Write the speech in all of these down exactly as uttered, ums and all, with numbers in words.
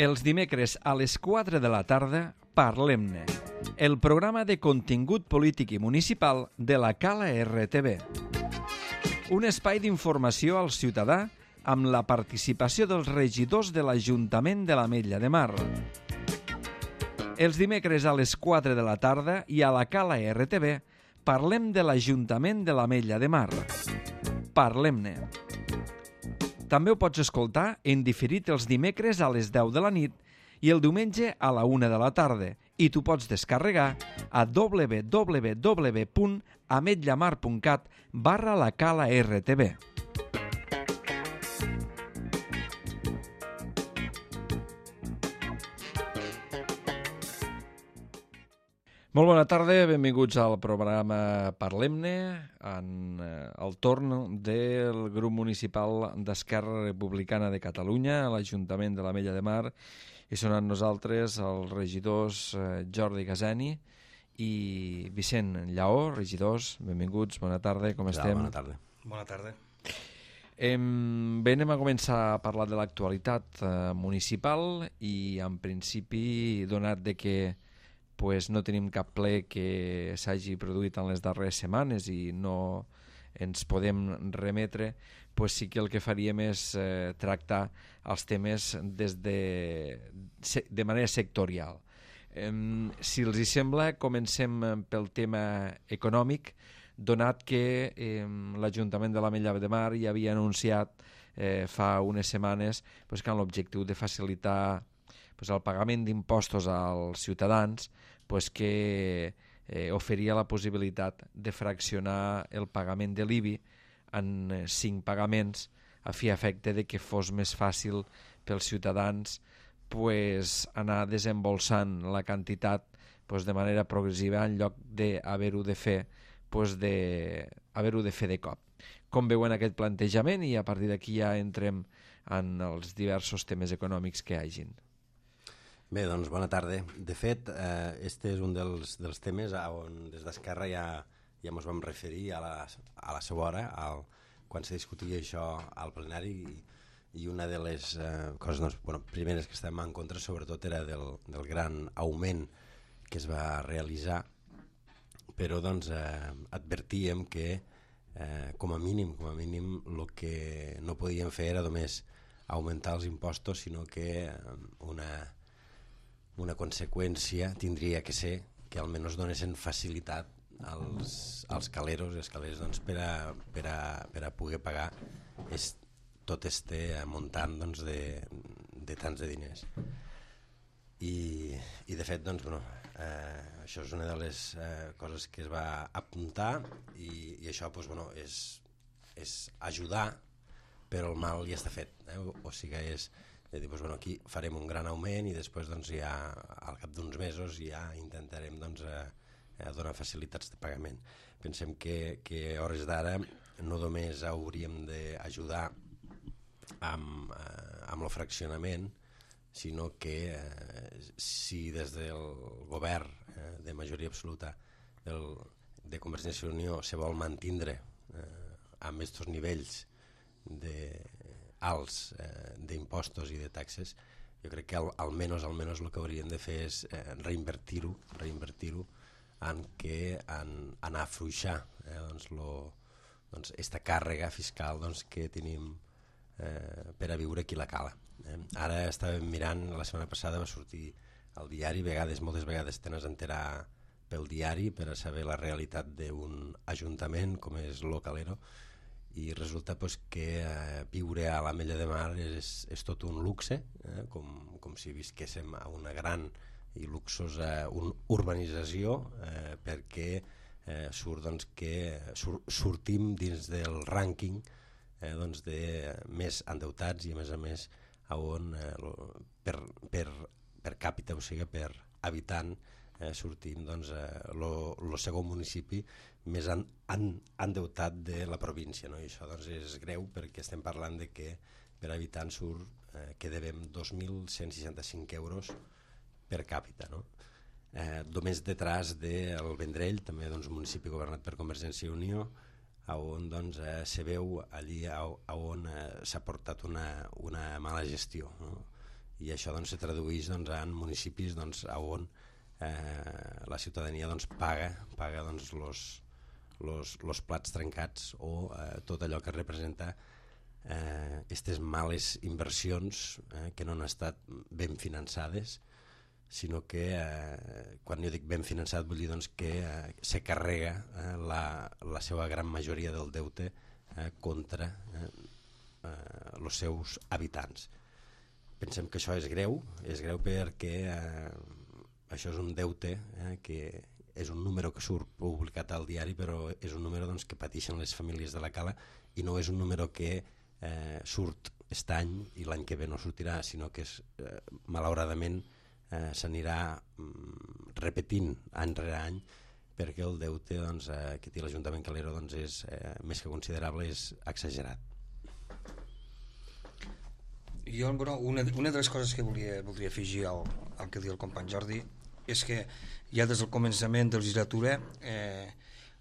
Els dimecres a les quatre de la tarda, Parlem-ne, el programa de contingut polític i municipal de la Cala R T V. Un espai d'informació al ciutadà amb la participació dels regidors de l'Ajuntament de l'Ametlla de Mar. Els dimecres a les quatre de la tarda i a la Cala R T V parlem de l'Ajuntament de l'Ametlla de Mar. Parlem-ne. També ho pots escoltar en diferit els dimecres a les deu de la nit i el diumenge a la una de la tarda i t'ho pots descarregar a w w w punt ametllamar punt cat barra la Cala R T V. Molt bona tarda, benvinguts al programa Parlem-ne, en el torn del grup municipal d'Esquerra Republicana de Catalunya, a l'Ajuntament de l'Ametlla de Mar, i són amb nosaltres els regidors Jordi Gazeni i Vicent Lleó. Regidors, benvinguts, bona tarda, com estem? Bona tarda. Bona tarda. Eh, bé, anem a començar a parlar de l'actualitat eh, municipal i en principi, donat de que pues no tenim cap ple que s'hagi produït en les darreres setmanes i no ens podem remetre, pues sí que el que faríem és eh, tractar els temes des de, de manera sectorial. Eh, si els hi sembla, comencem pel tema econòmic, donat que eh, l'Ajuntament de l'Ametlla de Mar ja havia anunciat eh, fa unes setmanes pues, que amb l'objectiu de facilitar pues, el pagament d'impostos als ciutadans, pues, que eh, oferia la possibilitat de fraccionar el pagament de l'I B I en eh, cinc pagaments a fi efecte de que fos més fàcil pels ciutadans pues, anar desembolsant la quantitat pues, de manera progressiva en lloc d'haver-ho de fer pues, de, haver-ho de fer de cop. Com veuen aquest plantejament i a partir d'aquí ja entrem en els diversos temes econòmics que hi hagin. Bé, doncs bona tarda. De fet, eh, este és un dels, dels temes on des d'Esquerra ja, ja ens vam referir a la, a la seva hora, al, quan se discutia això al plenari, i, i una de les eh, coses doncs, bueno, primeres que estàvem en contra sobretot era del, del gran augment que es va realitzar, però doncs, eh, advertíem que eh, com a mínim, com a mínim el que no podíem fer era només augmentar els impostos, sinó que eh, una una conseqüència tindria que ser que almenys donessin facilitat als, als caleros i escaleres doncs, per, a, per, a, per a poder pagar es, tot este muntant doncs, de, de tants de diners. I, i de fet, doncs, bueno, eh, això és una de les eh, coses que es va apuntar i, i això doncs, bueno, és, és ajudar, però el mal ja està fet. Eh? O, o sigui, és de dir, doncs, bueno, aquí farem un gran augment i després doncs, ja al cap d'uns mesos ja intentarem doncs, eh, donar facilitats de pagament. Pensem que, que a hores d'ara no només hauríem d'ajudar amb, eh, amb el fraccionament, sinó que eh, si des del govern eh, de majoria absoluta del, de Convergència i Unió se vol mantindre eh, amb aquests nivells de alts eh, d'impostos i de taxes, jo crec que al, almenys, almenys el que hauríem de fer és eh, reinvertir-ho reinvertir-ho en que en, en afluixar eh, doncs, lo, doncs, esta càrrega fiscal doncs, que tenim eh, per a viure aquí a la Cala. Eh? Ara estàvem mirant, la setmana passada va sortir al diari, vegades, moltes vegades te n'has enterar pel diari per a saber la realitat d'un ajuntament com és lo Calero, i resulta pues, que eh, viure a l'Ametlla de Mar és, és tot un luxe, eh, com, com si visquéssim a una gran i luxosa un, urbanització, eh, perquè eh, surt, doncs, que sur, sortim dins del rànquing eh, doncs, de més endeutats i a més a més a on eh, lo, per, per, per càpita, o sigui per habitant, eh, sortim doncs, eh, lo, lo segon municipi més en, en, endeutat de la província, no? I això doncs, és greu perquè estem parlant de que per habitant surt eh, que devem dos mil cent seixanta-cinc euros per càpita, no? Eh, només detrás del Vendrell, també doncs, municipi governat per Convergència i Unió, on doncs, eh, se veu allí a, a on eh, s'ha portat una, una mala gestió, no? i això doncs, se tradueix doncs, en municipis doncs, on eh, la ciutadania doncs, paga paga doncs, los, los, los plats trencats o eh, tot allò que representa aquestes eh, males inversions eh, que no han estat ben finançades, sinó que eh, quan jo dic ben finançat vull dir doncs, que eh, se carrega eh, la, la seva gran majoria del deute eh, contra eh, eh, els seus habitants. Pensem que això és greu, és greu perquè eh, això és un deute eh, que és un número que surt publicat al diari, però és un número doncs, que pateixen les famílies de la Cala i no és un número que eh, surt aquest any i l'any que ve no sortirà, sinó que és, eh, malauradament eh, s'anirà mm, repetint any rere any, perquè el deute doncs, eh, que té l'Ajuntament Calero doncs, és eh, més que considerable, és exagerat. Jo, bueno, una, una de les coses que volia, voldria afegir al, al que diu el company Jordi és que ja des del començament de la legislatura eh,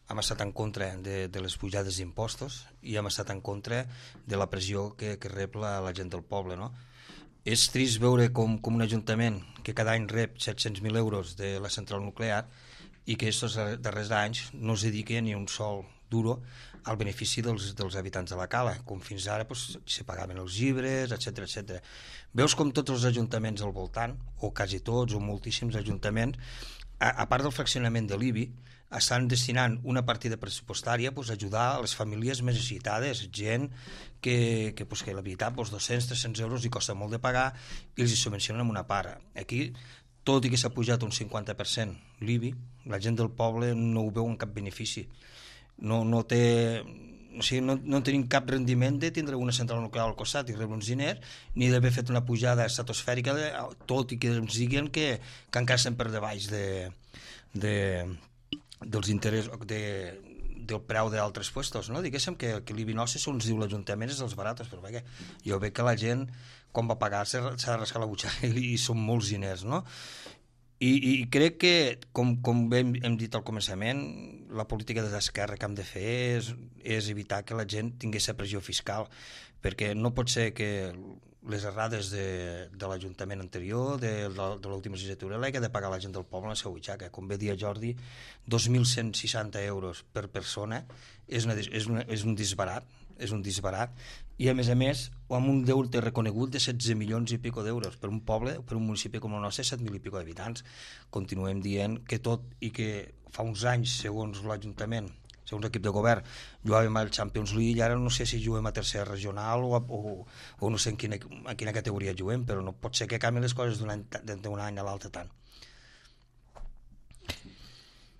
hem estat en contra de, de les pujades d'impostos i hem estat en contra de la pressió que, que rep la, la gent del poble, no? És trist veure com, com un ajuntament que cada any rep set-cents mil euros de la central nuclear i que aquests darrers anys no es dedica ni un sol duro al benefici dels, dels habitants de la Cala, com fins ara pues, se pagaven els llibres, etcètera etcètera. Veus com tots els ajuntaments al voltant, o quasi tots, o moltíssims ajuntaments, a, a part del fraccionament de l'I B I, estan destinant una partida pressupostària pues, a ajudar a les famílies més necessitades, gent que, que, pues, que la veritat pues, dos-cents a tres-cents euros hi costa molt de pagar i els hi subvencionen amb una part. Aquí, tot i que s'ha pujat un cinquanta per cent l'I B I, la gent del poble no ho veu en cap benefici. No, no, té, o sigui, no, no tenim cap rendiment de tindre una central nuclear al costat i rebre uns diners, ni d'haver fet una pujada estratosfèrica, de, tot i que ens diguen que, que encara estem per debaix de, de, dels interessos de, del preu d'altres puestos, no? Diguéssim que, que l'I B I nostre, segons diu l'Ajuntament, és dels baratos, però bé, jo veig que la gent, quan va pagar, s'ha de rascar la butxaca i, i són molts diners, no? I, i crec que, com, com hem, hem dit al començament, la política de l'esquerra que hem de fer és, és evitar que la gent tingués la pressió fiscal, perquè no pot ser que les errades de, de l'Ajuntament anterior, de, de, de l'última legislatura, l'hagi de pagar la gent del poble en la seva butxaca. Com bé dia Jordi, dos mil cent seixanta euros per persona és, una, és, una, és un disbarat, és un disbarat, i a més a més amb un deute reconegut de setze milions i pico d'euros per un poble, per un municipi com el nostre, set mil i pico d'habitants. Continuem dient que tot i que fa uns anys, segons l'Ajuntament, segons l'equip de govern, jugàvem al Champions League i ara no sé si juguem a tercera regional o, o, o no sé en quina, en quina categoria juguem, però no pot ser que canvien les coses d'un any, d'un any a l'altre tant.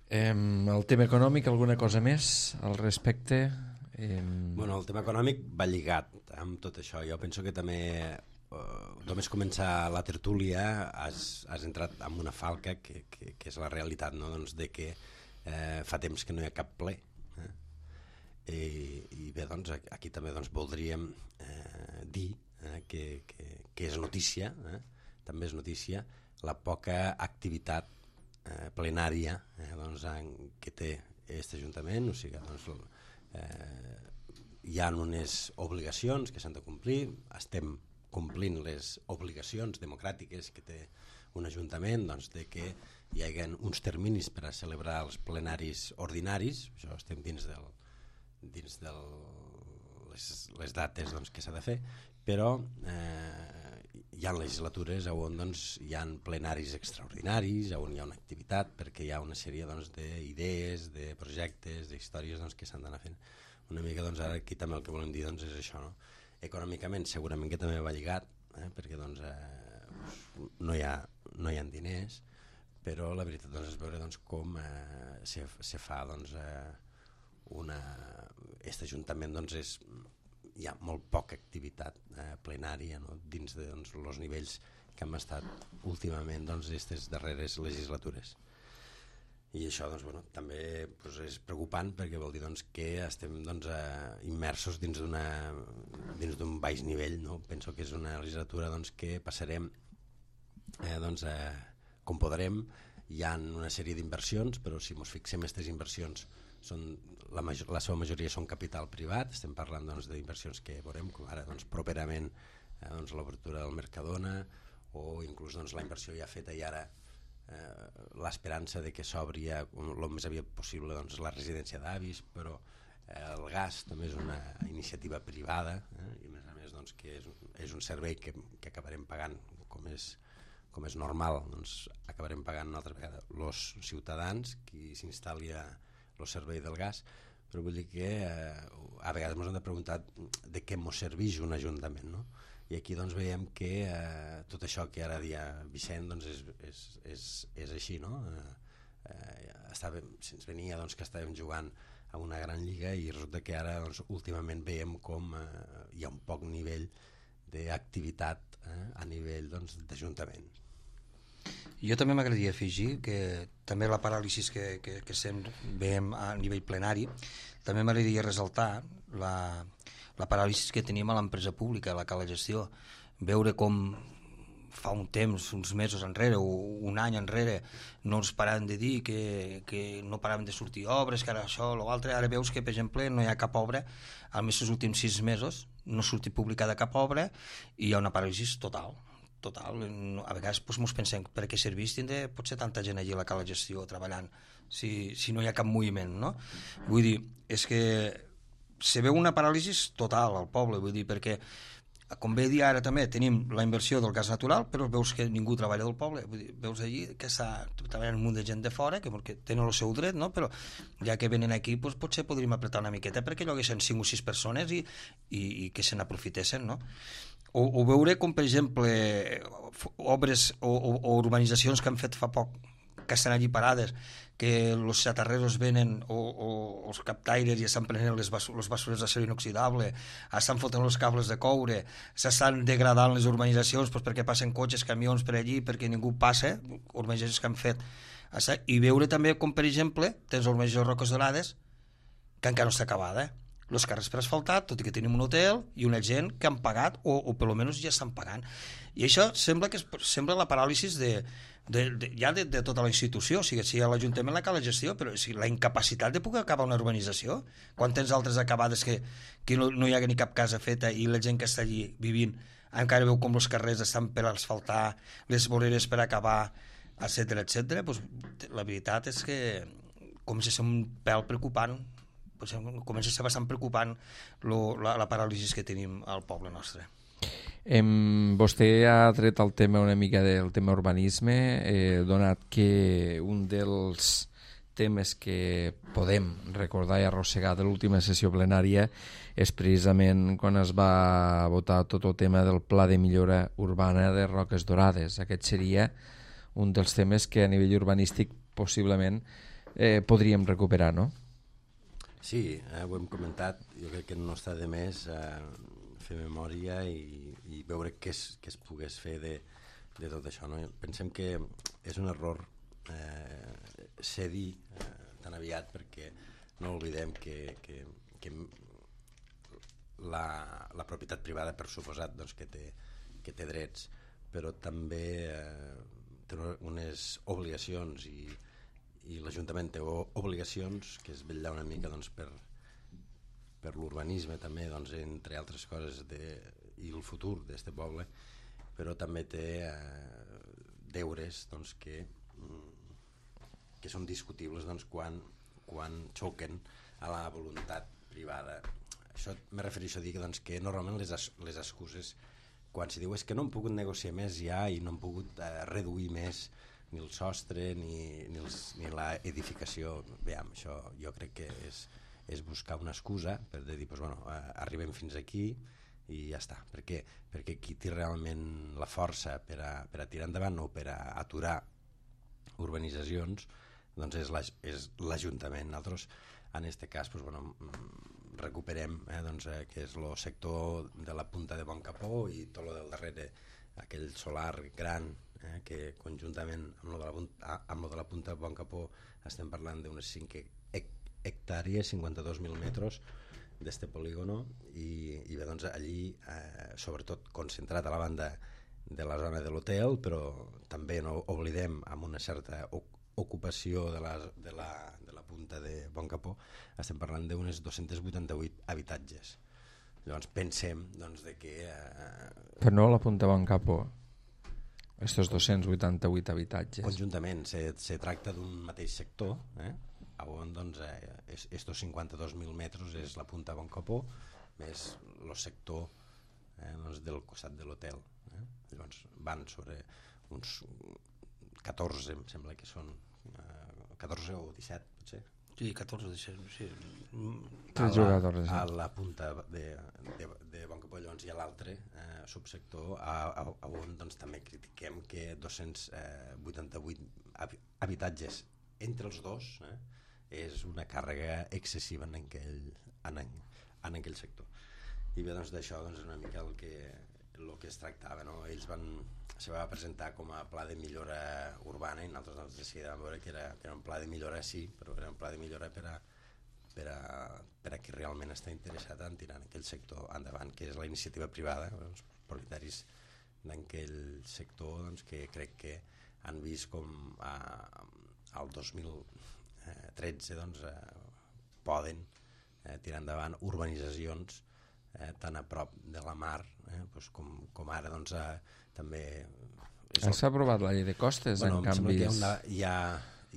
Eh, el tema econòmic, alguna cosa més al respecte? Eh... Bueno, el tema econòmic va lligat amb tot això. Jo penso que també eh, només començar la tertúlia has, has entrat en una falca que, que, que és la realitat, no? Doncs de que eh, fa temps que no hi ha cap ple eh? I, i bé, doncs aquí també doncs, voldríem eh, dir eh, que, que, que és notícia eh? També és notícia la poca activitat eh, plenària eh, doncs, en, que té aquest Ajuntament, o sigui, doncs Eh, hi ha unes obligacions que s'han de complir, estem complint les obligacions democràtiques que té un ajuntament, doncs, de que hi hagi uns terminis per a celebrar els plenaris ordinaris, això estem dins del, dins del les, les dates doncs, que s'ha de fer, però eh, hi ha legislatures on doncs, hi ha plenaris extraordinaris, on hi ha una activitat, perquè hi ha una sèrie doncs, d'idees, de projectes, d'històries doncs, que s'han d'anar fent. Una mica doncs, ara aquí també el que volem dir doncs, és això, no? Econòmicament segurament que també va lligat, eh? perquè doncs, eh, no, hi ha, no hi ha diners, però la veritat doncs, és veure doncs, com eh, se, se fa doncs, eh, una... Aquest ajuntament doncs, és... hi ha molt poca activitat eh, plenària no? Dins de doncs, els nivells que hem estat últimament doncs, aquestes darreres legislatures. I això doncs, bueno, també doncs, és preocupant perquè vol dir doncs, que estem doncs, eh, immersos dins d'una dins d'un baix nivell. No? Penso que és una legislatura doncs, que passarem eh, doncs, eh, com podrem. Hi ha una sèrie d'inversions, però si ens fixem aquestes inversions són, la, major, la seva majoria són capital privat, estem parlant doncs, d'inversions que veurem com ara doncs, properament eh, doncs, l'obertura del Mercadona o inclús doncs, la inversió ja feta i ara eh, l'esperança de que s'obri el més aviat possible doncs, la residència d'avis, però eh, el gas també és una iniciativa privada eh, i a més a més doncs, que és, és un servei que, que acabarem pagant com és, com és normal, doncs acabarem pagant una altra vegada els ciutadans qui s'instal·li el servei del gas, però vull dir que eh, a vegades ens hem de preguntar de què ens serveix un ajuntament, no? I aquí doncs veiem que eh, tot això que ara dia Vicent doncs és, és, és, és així, no? Eh, eh, estàvem, se'ns venia doncs, que estàvem jugant a una gran lliga i resulta que ara doncs, últimament veiem com eh, hi ha un poc nivell d'activitat eh, a nivell doncs, d'Ajuntament. Jo també m'agradaria afegir que també la paràlisi que, que, que sempre veiem a nivell plenari, també m'agradaria ressaltar la, la paràlisi que tenim a l'empresa pública, la cala gestió. Veure com fa un temps, uns mesos enrere o un any enrere, no ens paraven de dir que, que no paraven de sortir obres, que ara això o l'altre. Ara veus que, per exemple, no hi ha cap obra, almenys els últims sis mesos no ha sortit publicada cap obra i hi ha una paràlisi total. total, a vegades doncs, ens pensem per què serveix tindre potser tanta gent allí a la cala gestió treballant si, si no hi ha cap moviment, no? Vull dir, és que se veu una paràlisi total al poble, vull dir, perquè com bé dir ara també tenim la inversió del gas natural, però veus que ningú treballa del poble, vull dir, veus allí que està treballant un munt de gent de fora que, que tenen el seu dret, no? Però ja que venen aquí doncs, potser podríem apretar una miqueta perquè lloguessin cinc o sis persones i, i, i que se n'aprofitessin, no? O, o veure com, per exemple, obres o, o, o urbanitzacions que han fet fa poc, que estan allí parades, que els xatarreros venen o, o els captaires i estan prenent les, bas les basurers d'acer inoxidable, estan fotent els cables de coure, s'estan degradant les urbanitzacions doncs, perquè passen cotxes, camions per allí, perquè ningú passa, urbanitzacions que han fet. I veure també com, per exemple, tens l'urbanització Roques Dorades, que encara no està acabada, eh? Els carrers per asfaltat, tot i que tenim un hotel i una gent que han pagat o, o per almenys ja estan pagant. I això sembla que és, sembla la paràlisi de, de, de, ja de, de tota la institució, o sigui, si a l'Ajuntament la cala gestió, però o sigui, la incapacitat de poder acabar una urbanització, quan tens altres acabades que, que no, no hi ha ni cap casa feta i la gent que està allí vivint encara veu com els carrers estan per asfaltar, les voreres per acabar, etcètera, etcètera, doncs, la veritat és que comença a ser un pèl preocupant, comença a ser bastant preocupant lo, la, la paràlisi que tenim al poble nostre. Em, vostè ha tret el tema una mica del tema urbanisme, eh, donat que un dels temes que podem recordar i arrossegar de l'última sessió plenària és precisament quan es va votar tot el tema del Pla de Millora Urbana de Roques Dorades. Aquest seria un dels temes que a nivell urbanístic possiblement eh, podríem recuperar, no? Sí, eh, ho hem comentat, jo crec que no està de més eh, fer memòria i, i veure què es, què es pogués fer de, de tot això. No? Pensem que és un error eh, cedir eh, tan aviat perquè no oblidem que, que, que la, la propietat privada per suposat doncs, que, té, que té drets, però també eh, té unes obligacions i i l'Ajuntament té obligacions que és vetllar una mica doncs, per, per l'urbanisme també, doncs, entre altres coses de, i el futur d'aquest poble, però també té eh, deures doncs, que, que són discutibles doncs, quan, quan xoquen a la voluntat privada. Això me refereixo a dir que, doncs, que normalment les, les excuses quan s'hi diu és que no han pogut negociar més ja i no han pogut eh, reduir més ni el sostre ni, ni, els, ni la edificació. Veiem, això jo crec que és, és buscar una excusa per dir, doncs, bueno, eh, arribem fins aquí i ja està. Per què? Perquè qui té realment la força per a, per a tirar endavant o per a aturar urbanitzacions doncs és l'Ajuntament. Nosaltres, en aquest cas, doncs, bueno, recuperem eh, doncs, eh, que és el sector de la punta de Boncapó i tot el del darrere, aquell solar gran, eh, que conjuntament amb lo de la, amb lo de la punta de Boncapó estem parlant d'unes cinc hectàrees, cinquanta-dos mil metres d'este polígono i, i bé, doncs allí eh, sobretot concentrat a la banda de la zona de l'hotel, però també no oblidem amb una certa ocupació de la, de la, de la punta de Boncapó, estem parlant d'unes dos-cents vuitanta-vuit habitatges. Llavors pensem doncs, de que... Eh... Però no la punta Boncapó. estos dos-cents vuitanta-vuit habitatges. Conjuntament, se, se tracta d'un mateix sector, eh? on doncs, eh, estos cinquanta-dos mil metres és la punta Bon Capó, més el sector eh, doncs, del costat de l'hotel. Eh? Llavors van sobre uns catorze, em sembla que són eh, catorze o disset, potser. Sí, catorze, disset, sí. Tres jugadors. A la punta de, de, de Bon Capó, llavors hi ha l'altre eh, subsector a, a, a on doncs, també critiquem que dos-cents vuitanta-vuit habitatges entre els dos eh, és una càrrega excessiva en aquell, en, en aquell sector. I bé, doncs d'això doncs, és una mica el que, el que es tractava, no? Ells van, se va presentar com a pla de millora urbana i nosaltres doncs, decidíem veure que era, que era un pla de millora, sí, però era un pla de millora per a, per a, per a qui realment està interessat en tirar en aquell sector endavant, que és la iniciativa privada, els propietaris d'aquell sector doncs, que crec que han vist com a, al dos mil tretze doncs, eh, poden eh, tirar endavant urbanitzacions eh, tan a prop de la mar eh, doncs com, com ara doncs, eh, també el... s'ha aprovat la llei de costes bueno, en canvis hi ha, una, hi, ha,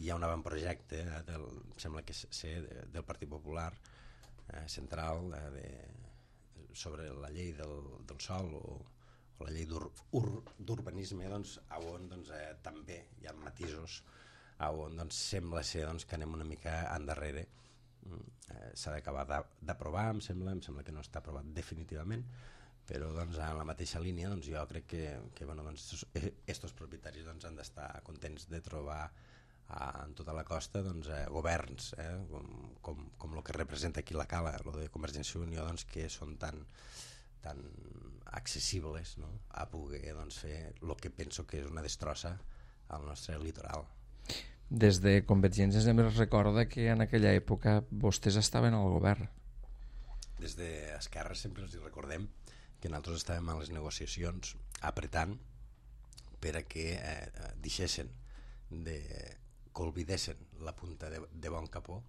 hi ha un avantprojecte eh, del, sembla que sé del Partit Popular eh, central eh, de, sobre la llei del, del sòl o, o la llei d'urbanisme doncs, on doncs, eh, també hi ha matisos on doncs, sembla ser doncs, que anem una mica endarrere. Eh, s'ha d'acabar d'aprovar, em sembla, em sembla que no està aprovat definitivament, però doncs, en la mateixa línia doncs, jo crec que, que bueno, doncs, estos propietaris doncs, han d'estar contents de trobar eh, en tota la costa doncs, eh, governs eh, com, com, com el que representa aquí la Cala, el de Convergència i Unió, doncs, que són tan, tan accessibles no? A poder doncs, fer el que penso que és una destrossa al nostre litoral. Des de Convergència sempre es recorda que en aquella època vostès estaven al govern. Des d'Esquerra sempre els recordem que nosaltres estàvem a les negociacions apretant per a que eh, deixessin de que oblidessin la punta de, de Bon Capó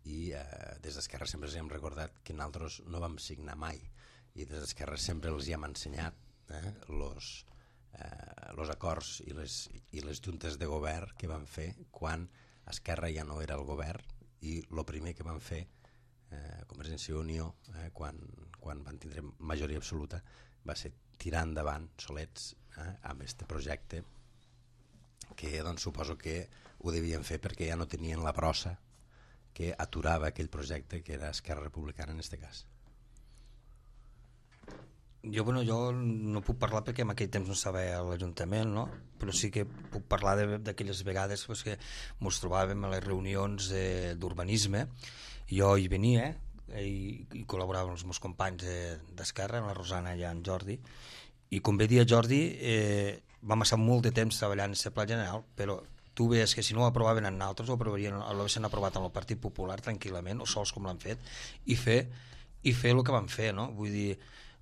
i eh, des d'Esquerra sempre els hem recordat que nosaltres no vam signar mai i des d'Esquerra sempre els hi hem ensenyat eh, los Eh, els acords i les, i les juntes de govern que van fer quan Esquerra ja no era el govern i el primer que van fer eh, Convergència i Unió eh, quan, quan van tindre majoria absoluta va ser tirar endavant solets eh, amb este projecte que doncs, suposo que ho devien fer perquè ja no tenien la brossa que aturava aquell projecte que era Esquerra Republicana en este cas. Jo, bueno, jo no puc parlar perquè en aquell temps no estava a l'Ajuntament, no? Però sí que puc parlar d'aquelles vegades pues, que ens trobàvem a les reunions d'urbanisme. Jo hi venia i, i col·laborava amb els meus companys d'Esquerra, la Rosana i en Jordi, i com bé dia Jordi, eh, vam estar molt de temps treballant en la Pla General, però tu veies que si no ho aprovaven en altres, ho aprovarien, l'haguessin aprovat en el Partit Popular tranquil·lament, o sols com l'han fet, i fer, i fer el que van fer, no? Vull dir,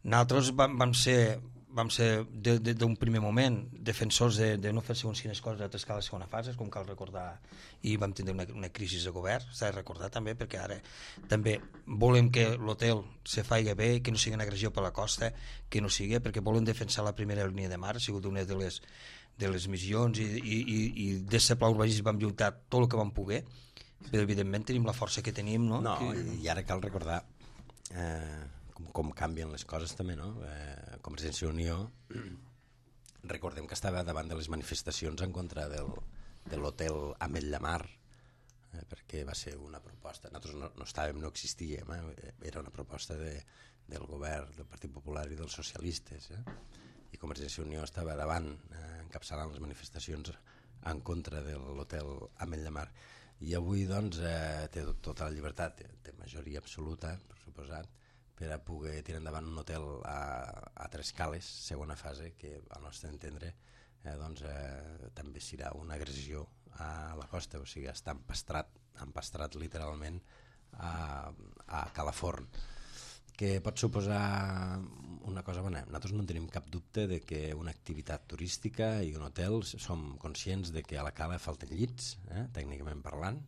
nosaltres vam, vam ser, vam ser d'un primer moment defensors de, de no fer segons quines coses a l'escala de segona fase, com cal recordar, i vam tindre una, una crisi de govern, s'ha de recordar també, perquè ara també volem que l'hotel se faci bé, que no sigui una agressió per la costa, que no sigui, perquè volem defensar la primera línia de mar, ha sigut una de les, de les missions, i, i, i, i des del pla urbanístic vam lluitar tot el que vam poder, però evidentment tenim la força que tenim, no? No, que... i ara cal recordar eh, com, com canvien les coses també, no? Eh, Convergència i Unió recordem que estava davant de les manifestacions en contra del, de l'hotel Ametlla Mar, eh, perquè va ser una proposta, nosaltres no, no estàvem, no existíem, eh? Era una proposta de, del govern del Partit Popular i dels socialistes, eh? I Convergència i Unió estava davant, eh, encapçalant les manifestacions en contra de l'hotel Ametlla Mar, i avui doncs eh, té tota la llibertat, té, té majoria absoluta, per suposat, per a poder tirar endavant un hotel a, a Tres Cales, segona fase, que al nostre entendre eh, doncs, eh, també serà una agressió a la costa, o sigui, està empastrat, empastrat literalment a, a Calaforn, que pot suposar una cosa bona. Nosaltres no tenim cap dubte de que una activitat turística i un hotel som conscients de que a la Cala falten llits, eh, tècnicament parlant,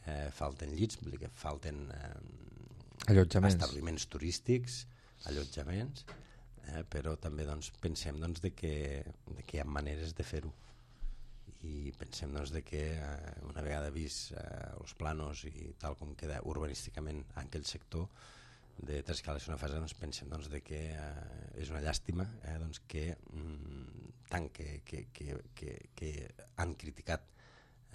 eh, falten llits, vull dir que falten... Eh, allotjaments. Establiments turístics, allotjaments, eh, però també doncs, pensem doncs, de que, de que hi ha maneres de fer-ho, i pensem doncs, de que eh, una vegada vist eh, els planos i tal com queda urbanísticament en aquell sector de Trescala és una fase, doncs, pensem doncs, de que eh, és una llàstima eh, doncs, que mm, tant que, que, que, que, que han criticat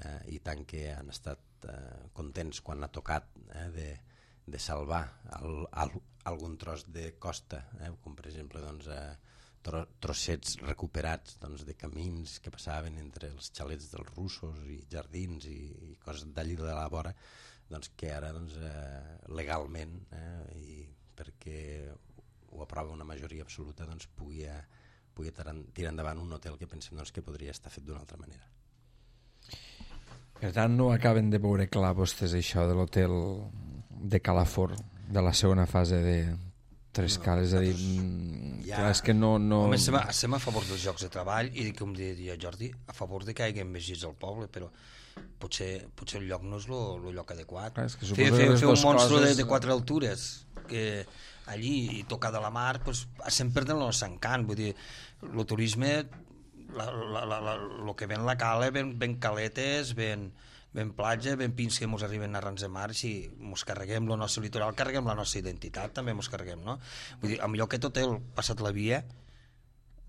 eh, i tant que han estat eh, contents quan ha tocat eh, de, de salvar el, el, algun tros de costa, eh, com per exemple doncs, eh, tro, trossets recuperats doncs, de camins que passaven entre els xalets dels russos i jardins i, i coses d'allí de la vora, doncs, que ara doncs, eh, legalment eh, i perquè ho aprova una majoria absoluta doncs, pugui, eh, pugui tirar endavant un hotel que pensem doncs, que podria estar fet d'una altra manera. Per tant, no acaben de veure clar vostès això de l'hotel de Calafort, de la segona fase de Trescala, no, és a dir, ja... clar, és que no... no... Home, estem a, estem a favor dels llocs de treball i, com diria Jordi, a favor de que hi hagi més llits al poble, però potser, potser el lloc no és el lloc adequat. Clar, és que fer fer, fer un monstre coses... de, de quatre altures que allí i tocar de la mar pues, estem perdent el nostre encant, vull dir, el turisme, la, la, la, la, lo que ven la cala, ven, ven caletes, ven, ven platja, ven pins que mos arriben a rans de mar, si mos carreguem el nostre litoral, carreguem la nostra identitat, també mos carreguem, no? Vull dir, a millor que tot el passat la via,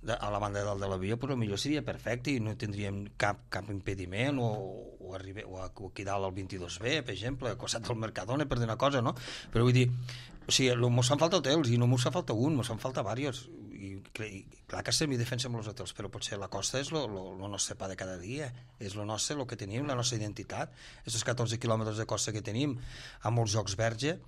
a la banda de dalt de la via, però millor seria perfecte i no tindríem cap, cap impediment o, o, arribar, o aquí dalt al vint-i-dos B, per exemple, al costat del Mercadona, per dir una cosa, no? Però vull dir, o sigui, mos fan falta hotels i no mos fa falta un, mos fan falta diversos. I, i clar que estem i defensem els hotels, però potser la costa és el nostre pa de cada dia, és el nostre, el que tenim, la nostra identitat. Aquests catorze quilòmetres de costa que tenim, amb molts jocs verge,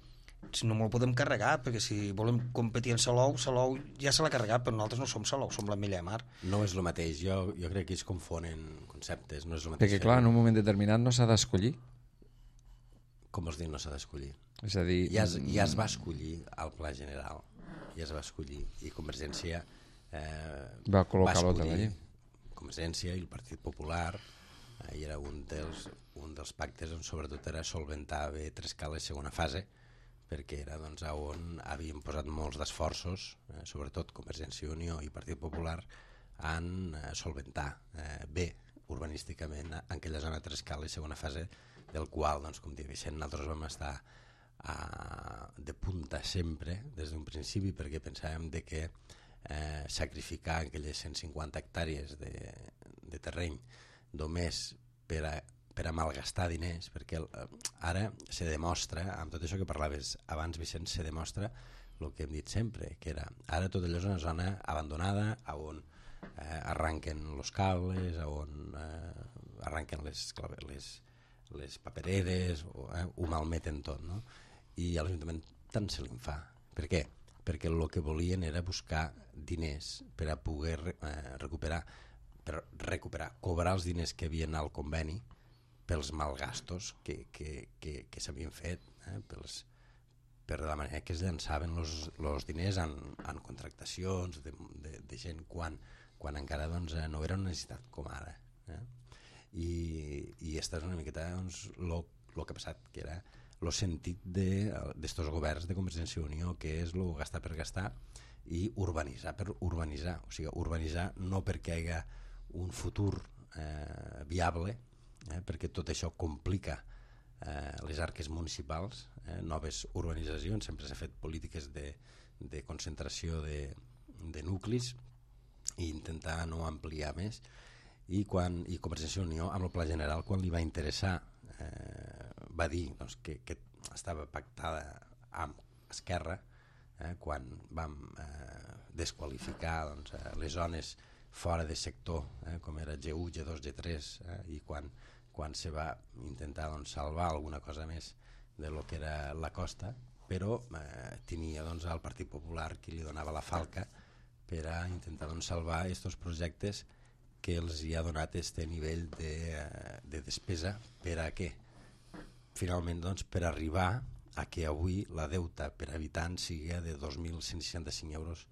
si no me'l podem carregar, perquè si volem competir en Salou, Salou ja se l'ha carregat, però nosaltres no som Salou, som la Milla de Mar. No és el mateix, jo, jo crec que es confonen conceptes, no és el mateix. Perquè clar, en un moment determinat no s'ha d'escollir. Com vols dir no s'ha d'escollir? És a dir... Ja es, ja es va escollir al Pla General, ja es va escollir, i Convergència eh, va col·locar l'hotel allí. Convergència i el Partit Popular, eh, i era un dels, un dels pactes on sobretot era solventar bé Trescala segona fase, perquè era doncs, on havien posat molts d'esforços, eh, sobretot Convergència i Unió i Partit Popular, en eh, solventar eh, bé urbanísticament en aquella zona de Trescala i segona fase, del qual, doncs, com diu Vicent, nosaltres vam estar a, de punta sempre, des d'un principi, perquè pensàvem de que eh, sacrificar aquelles cent cinquanta hectàrees de, de terreny només per a per a malgastar diners, perquè ara se demostra, amb tot això que parlaves abans, Vicent, se demostra el que hem dit sempre, que era, ara tot allò és una zona abandonada, on eh, arranquen els cables, on eh, arranquen les, les, les papereres, o, eh, ho malmeten tot, no? I a l'Ajuntament tant se li'n fa. Per què? Perquè el que volien era buscar diners per a poder eh, recuperar, per recuperar, cobrar els diners que havien al conveni, pels malgastos que, que, que, que s'havien fet, eh, pels, per la manera que es llançaven els diners en, en contractacions de, de, de gent quan, quan encara doncs, no era una necessitat com ara. Eh? I, i aquesta és una miqueta doncs, lo, lo que ha passat, que era el sentit d'estos de, governs de Convergència i Unió, que és el gastar per gastar i urbanitzar per urbanitzar. O sigui, urbanitzar no perquè hi hagi un futur eh, viable, Eh, perquè tot això complica eh, les arques municipals, eh, noves urbanitzacions, sempre s'ha fet polítiques de, de concentració de, de nuclis i intentar no ampliar més, i, quan, i Convergència i Unió amb el Pla General, quan li va interessar eh, va dir doncs, que, que estava pactada amb Esquerra, eh, quan vam eh, desqualificar doncs, les zones fora de sector, eh, com era G u, G dos, G tres, eh, i quan quan se va intentar doncs, salvar alguna cosa més de lo que era la costa, però eh, tenia doncs, el Partit Popular qui li donava la falca per a intentar doncs, salvar aquests projectes que els hi ha donat este nivell de, de despesa per a què? Finalment doncs, per arribar a que avui la deuta per habitant sigui de dos mil cent seixanta-cinc euros,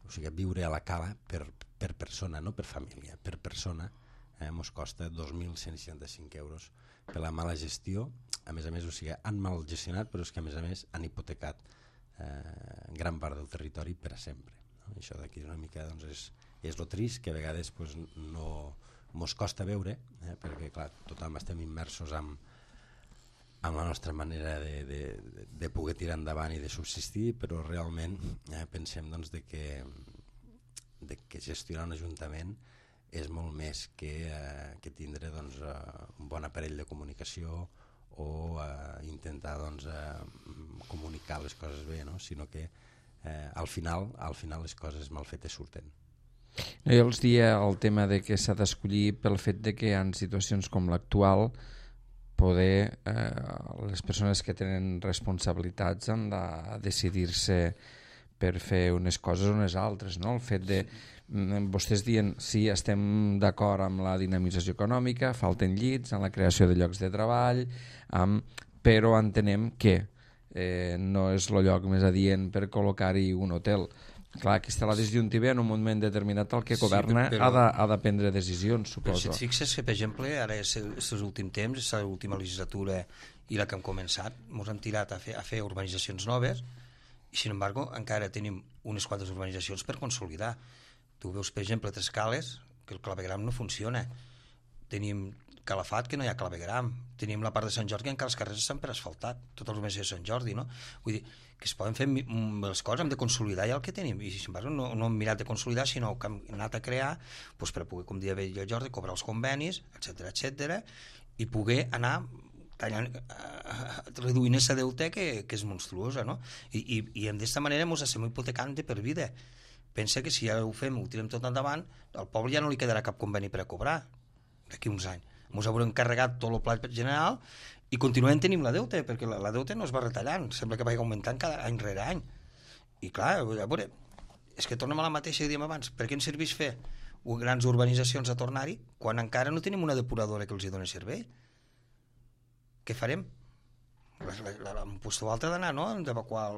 o sigui, viure a la cala per, per persona, no per família, per persona, Eh, mos costa dos mil cent seixanta-cinc euros per la mala gestió. A més a més, o sigui, han mal gestionat, però és que a més a més han hipotecat eh, gran part del territori per a sempre, no? No? Això d'aquí una mica doncs, és, és lo trist, que a vegades pues, no mos costa veure, eh? perquè clar, tothom estem immersos en, en la nostra manera de, de, de poder tirar endavant i de subsistir, però realment eh, pensem doncs, de que, de que gestionar un ajuntament és molt més que, eh, que tindre doncs, eh, un bon aparell de comunicació o eh, intentar doncs, eh, comunicar les coses bé, no? Sinó que eh, al final al final les coses mal fetes surten. No, jo els dia el tema de que s'ha d'escollir pel fet de que en situacions com l'actual poder eh, les persones que tenen responsabilitats han de decidir-se per fer unes coses o unes altres, no? El fet de vostès dient sí, estem d'acord amb la dinamització econòmica, falten llits, en la creació de llocs de treball, amb, però entenem que eh, no és el lloc més adient per col·locar-hi un hotel. Clar, aquí està la disjuntiva en un moment determinat el que governa sí, però... ha, de, ha de prendre decisions, suposo. Però si et fixes que, per exemple, ara aquests últims temps, aquesta última legislatura i la que hem començat, ens hem tirat a fer, a fer urbanitzacions noves i, sin embargo, encara tenim unes quantes urbanitzacions per consolidar. Tu veus, per exemple, a Trescales, que el clavegram no funciona. Tenim Calafat, que no hi ha clavegram. Tenim la part de Sant Jordi, que encara els carrers estan per asfaltat. Tota la urbanització de Sant Jordi, no? Vull dir, que es poden fer les coses, hem de consolidar ja el que tenim. I, sin embargo, no, no hem mirat de consolidar, sinó que hem anat a crear doncs, per poder, com dia bé jo, Jordi, cobrar els convenis, etcètera, etcètera, i poder anar tallant, eh, reduint aquesta deute que, que és monstruosa, no? I, i, i d'esta manera ens estem hipotecant de per vida. Pensa que si ja ho fem, ho tirem tot endavant, al poble ja no li quedarà cap conveni per a cobrar d'aquí uns anys. Ens haurem carregat tot el pla general i continuem tenint la deuta, perquè la, la deuta no es va retallant, sembla que va augmentant cada any rere any. I clar, a veure, és que tornem a la mateixa que dèiem abans, per què ens serveix fer grans urbanitzacions a tornar-hi quan encara no tenim una depuradora que els hi doni servei? Què farem? Un puesto altre d'anar, no?, d'evacuar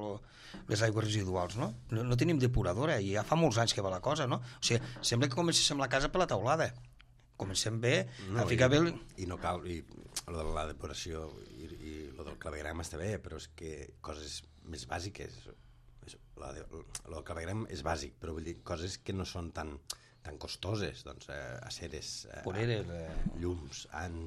les aigües residuals, no? no? No tenim depuradora i ja fa molts anys que va la cosa, no? O sigui, sembla que comencem la casa per la teulada. Comencem bé, no, a ficar i, bé... El... I no cal, i lo de la depuració i, i lo del clavegram està bé, però és que coses més bàsiques, lo, de, lo del clavegram és bàsic, però vull dir, coses que no són tan, tan costoses, doncs, eh, aceres, eh, Poreres, eh... llums, han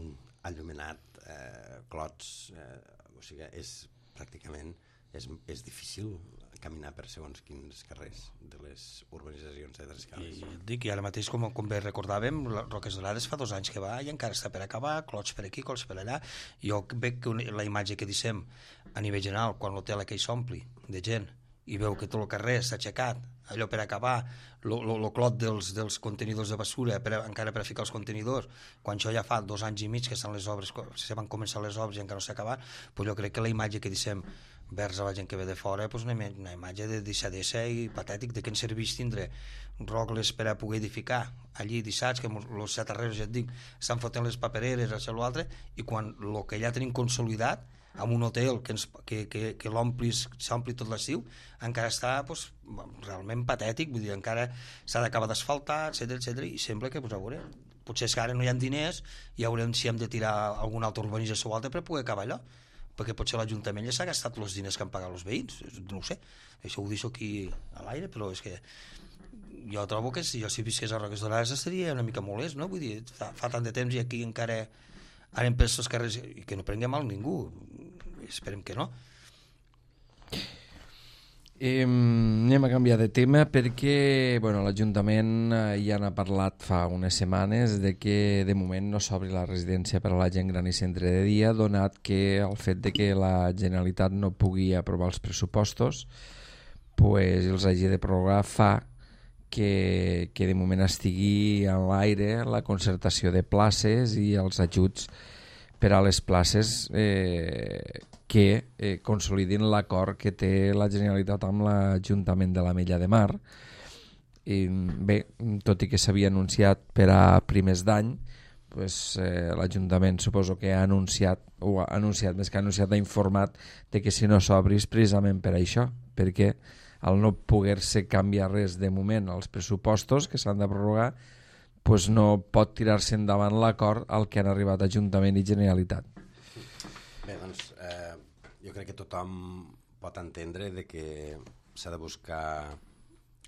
enllumenat, eh, clots, eh, o sigui, és pràcticament, és, és difícil caminar per segons quins carrers de les urbanitzacions de Trescales. I dic, i ara mateix, com, com bé recordàvem, Roques Dorades fa dos anys que va i encara està per acabar, clots per aquí, clots per allà. Jo veig que la imatge que dissem a nivell general, quan l'hotel aquell s'ompli de gent i veu que tot el carrer s'ha aixecat, allò per acabar, el clot dels, dels contenidors de basura, per, encara per a ficar els contenidors, quan això ja fa dos anys i mig que estan les obres, se van començar les obres i encara no s'ha acabat, doncs jo crec que la imatge que dissem vers a la gent que ve de fora, doncs una, una imatge de deixadesa i patètic, de què ens serveix tindre rogles per a poder edificar allí dissats, que els xatarreros, ja et dic, estan fotent les papereres, això i l'altre, i quan el que ja tenim consolidat, amb un hotel que, ens, que, que, que s'ompli tot l'estiu, encara està doncs, realment patètic, vull dir, encara s'ha d'acabar d'asfaltar, etcètera, etcètera, i sembla que, doncs, a veure, potser és que ara no hi ha diners i haurem, si hem de tirar alguna altra urbanització o altra per poder acabar allò, perquè potser l'Ajuntament ja s'ha gastat els diners que han pagat els veïns, no ho sé, això ho deixo aquí a l'aire, però és que jo trobo que si jo si visqués a Roques Dorades estaria una mica molest, no? Vull dir, fa, fa tant de temps i aquí encara anem per els carrers i que no prengui mal ningú, esperem que no. Eh, anem a canviar de tema perquè bueno, l'Ajuntament ja n'ha parlat fa unes setmanes de que de moment no s'obri la residència per a la gent gran i centre de dia, donat que el fet de que la Generalitat no pugui aprovar els pressupostos pues, els hagi de prorrogar fa que, que de moment estigui en l'aire la concertació de places i els ajuts per a les places eh, que eh, consolidin l'acord que té la Generalitat amb l'Ajuntament de l'Ametlla de Mar. I, bé, tot i que s'havia anunciat per a primers d'any, pues, eh, l'Ajuntament suposo que ha anunciat, o ha anunciat, més que ha anunciat, ha informat de que si no s'obris precisament per això, perquè al no poder-se canviar res de moment als pressupostos que s'han de prorrogar, pues no pot tirar-se endavant l'acord al que han arribat Ajuntament i Generalitat. Bé, doncs, eh, jo crec que tothom pot entendre de que s'ha de buscar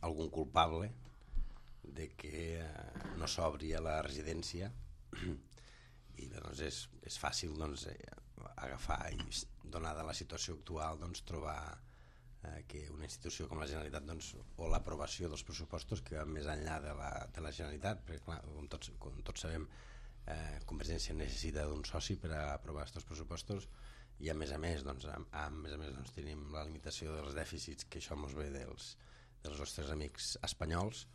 algun culpable de que eh, no s'obri a la residència i bé, doncs és, és fàcil doncs, eh, agafar i donada la situació actual doncs, trobar eh, que una institució com la Generalitat doncs, o l'aprovació dels pressupostos que va més enllà de la, de la Generalitat, perquè clar, com tots, com tots sabem eh, Convergència necessita d'un soci per a aprovar aquests pressupostos i a més a més, doncs, a, a més, a més doncs, tenim la limitació dels dèficits que això ens ve dels, dels nostres amics espanyols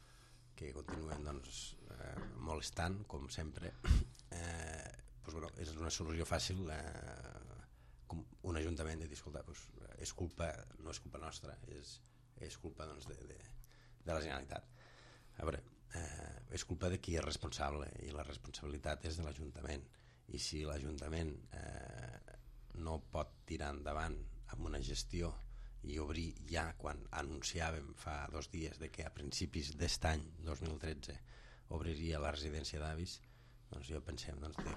que continuen doncs, eh, molestant com sempre. eh, doncs, bueno, és una solució fàcil eh, com un ajuntament de dir, escolta, doncs, és culpa, no és culpa nostra, és, és culpa doncs, de, de, de la Generalitat. A veure, eh, és culpa de qui és responsable i la responsabilitat és de l'Ajuntament i si l'Ajuntament eh, no pot tirar endavant amb una gestió i obrir ja quan anunciàvem fa dos dies de que a principis d'aquest any dos mil tretze obriria la residència d'avis, doncs jo pensem doncs, de,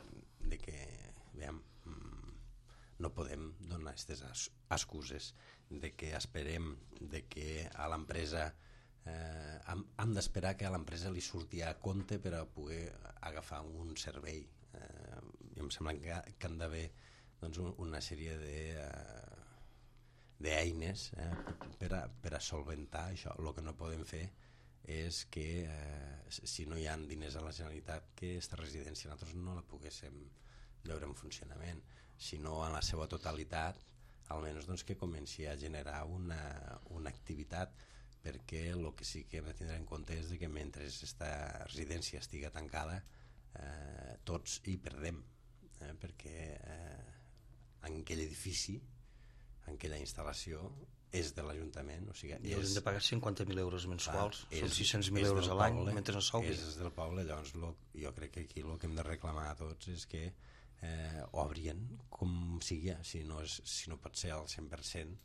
de que veiem, no podem donar aquestes excuses de que esperem de que a l'empresa eh, hem, hem d'esperar que a l'empresa li surti a compte per a poder agafar un servei eh, i em sembla que, que han d'haver doncs, una sèrie de eh, d'eines eh, per, a, per a solventar això. El que no podem fer és que eh, si no hi ha diners a la Generalitat que aquesta residència nosaltres no la poguéssim veure en funcionament, sinó en la seva totalitat almenys doncs, que comenci a generar una, una activitat perquè el que sí que hem de tindre en compte és que mentre aquesta residència estiga tancada eh, tots hi perdem eh, perquè eh, en aquell edifici, en aquella instal·lació, és de l'Ajuntament. O sigui, I haurem de pagar cinquanta mil euros mensuals, clar, són és, sis cents mil euros a l'any, mentre no s'obri. És del poble, llavors lo, jo crec que aquí el que hem de reclamar a tots és que eh, obrien com sigui, si no, és, si no pot ser al cent per cent,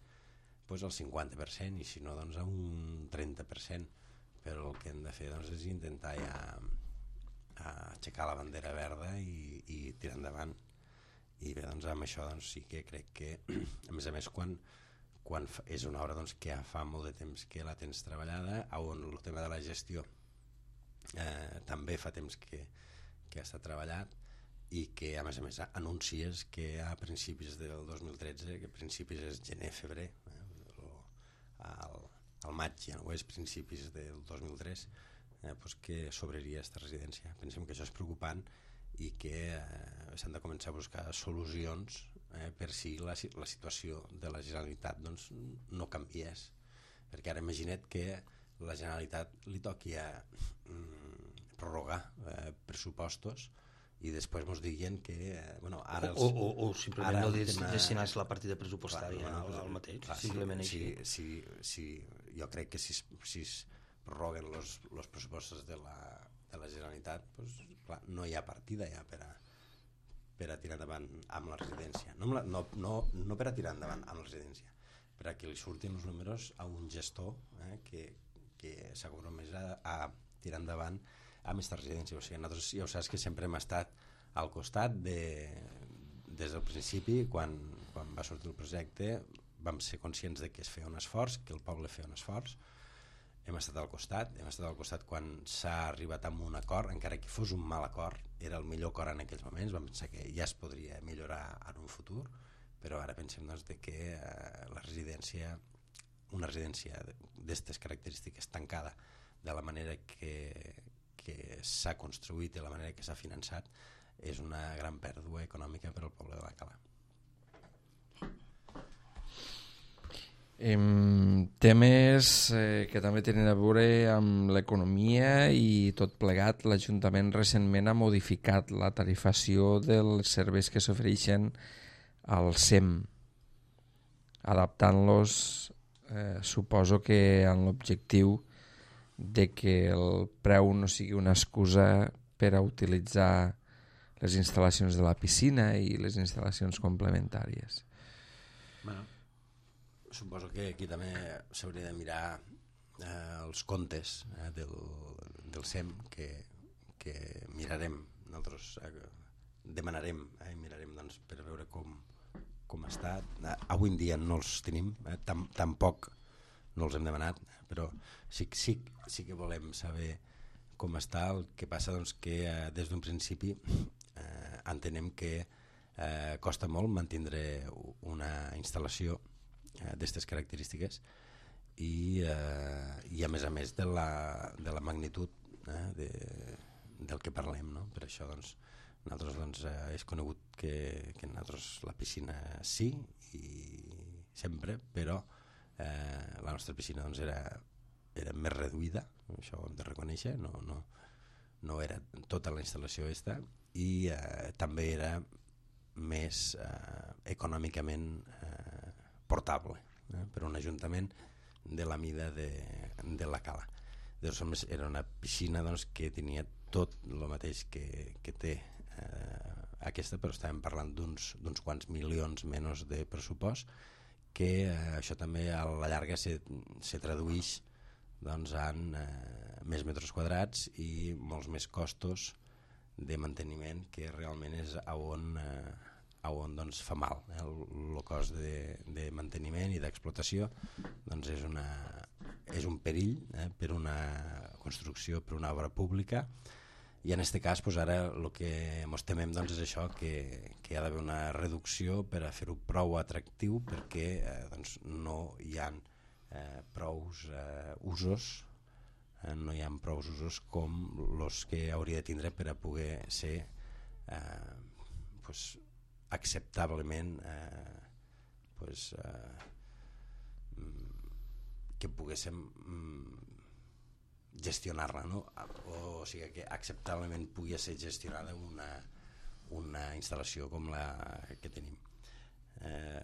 doncs al cinquanta per cent, i si no, doncs a un trenta per cent. Però el que hem de fer doncs, és intentar ja a aixecar la bandera verda i, i tirar endavant. I bé, doncs amb això doncs, sí que crec que a més a més quan, quan fa, és una obra doncs, que ja fa molt de temps que la tens treballada, on el tema de la gestió eh, també fa temps que, que està treballat i que a més a més anuncies que a principis del dos mil tretze, que a principis és gener, febrer, eh, al, al maig ja no és principis del dos mil tres, eh, doncs que s'obriria aquesta residència. Pensem que això és preocupant i que eh, s'han de començar a buscar solucions eh, per si la, la situació de la Generalitat doncs, no canviés, perquè ara imagina't que la Generalitat li toqui a mm, prorrogar eh, pressupostos i després ens diguen que eh, bueno, ara els, o, o, o simplement no des, tema... destinar la partida pressupostària clar, no, no, al mateix, clar, simplement si, així. si, si, si, jo crec que si, si es prorroguen els pressupostos de la, de la Generalitat doncs, clar, no hi ha partida ja per a, per a tirar endavant amb la residència, no, no, no, no per a tirar endavant amb la residència, per a que li surtin els números a un gestor eh, que, que s'ha compromès a, a tirar endavant amb aquesta residència. O sigui, nosaltres ja ho saps que sempre hem estat al costat de, des del principi, quan, quan va sortir el projecte vam ser conscients de que es feia un esforç, que el poble feia un esforç, hem estat al costat, hem estat al costat quan s'ha arribat a un acord, encara que fos un mal acord, era el millor acord en aquells moments, vam pensar que ja es podria millorar en un futur, però ara pensem doncs, de que eh, la residència, una residència d'aquestes característiques tancada de la manera que, que s'ha construït i la manera que s'ha finançat és una gran pèrdua econòmica per al poble de l'Alcalà. Em, temes eh, que també tenen a veure amb l'economia i tot plegat. L'Ajuntament recentment ha modificat la tarifació dels serveis que s'ofereixen al S E M, adaptant-los eh, suposo que amb l'objectiu de que el preu no sigui una excusa per a utilitzar les instal·lacions de la piscina i les instal·lacions complementàries. Bueno, suposo que aquí també s'hauria de mirar eh, els comptes eh, del, del S E M que, que mirarem, nosaltres eh, demanarem eh, i mirarem doncs, per veure com, com està. Eh, avui en dia no els tenim, eh, tam, tampoc no els hem demanat, però sí, sí, sí que volem saber com està. El que passa doncs que eh, des d'un principi eh, entenem que eh, costa molt mantindre una instal·lació eh, d'aquestes característiques i, eh, i a més a més de la, de la magnitud eh, de, del que parlem, no? Per això doncs, nosaltres doncs, eh, és conegut que, que nosaltres la piscina sí i sempre, però eh, la nostra piscina doncs, era, era més reduïda, això ho hem de reconèixer, no, no, no era tota la instal·lació esta, i eh, també era més eh, econòmicament eh, portable eh, per un ajuntament de la mida de, de la cala. Doncs, era una piscina doncs, que tenia tot el mateix que, que té eh, aquesta, però estàvem parlant d'uns quants milions menys de pressupost, que eh, això també a la llarga se, se tradueix doncs, en eh, més metres quadrats i molts més costos de manteniment, que realment és a on, eh, a on doncs, fa mal. Eh? El, el cost de, de manteniment i d'explotació doncs, és, una, és un perill eh, per una construcció, per una obra pública, i en aquest cas doncs, ara el que ens temem doncs, és això, que, que hi ha d'haver una reducció per a fer-ho prou atractiu, perquè eh, doncs, no hi ha eh, prous eh, usos eh, no hi ha prous usos com els que hauria de tindre per a poder ser eh, pues, acceptablement eh, pues, eh, que poguéssim gestionar-la, no? O, o sigui que acceptablement pugui ser gestionada una, una instal·lació com la que tenim. Eh,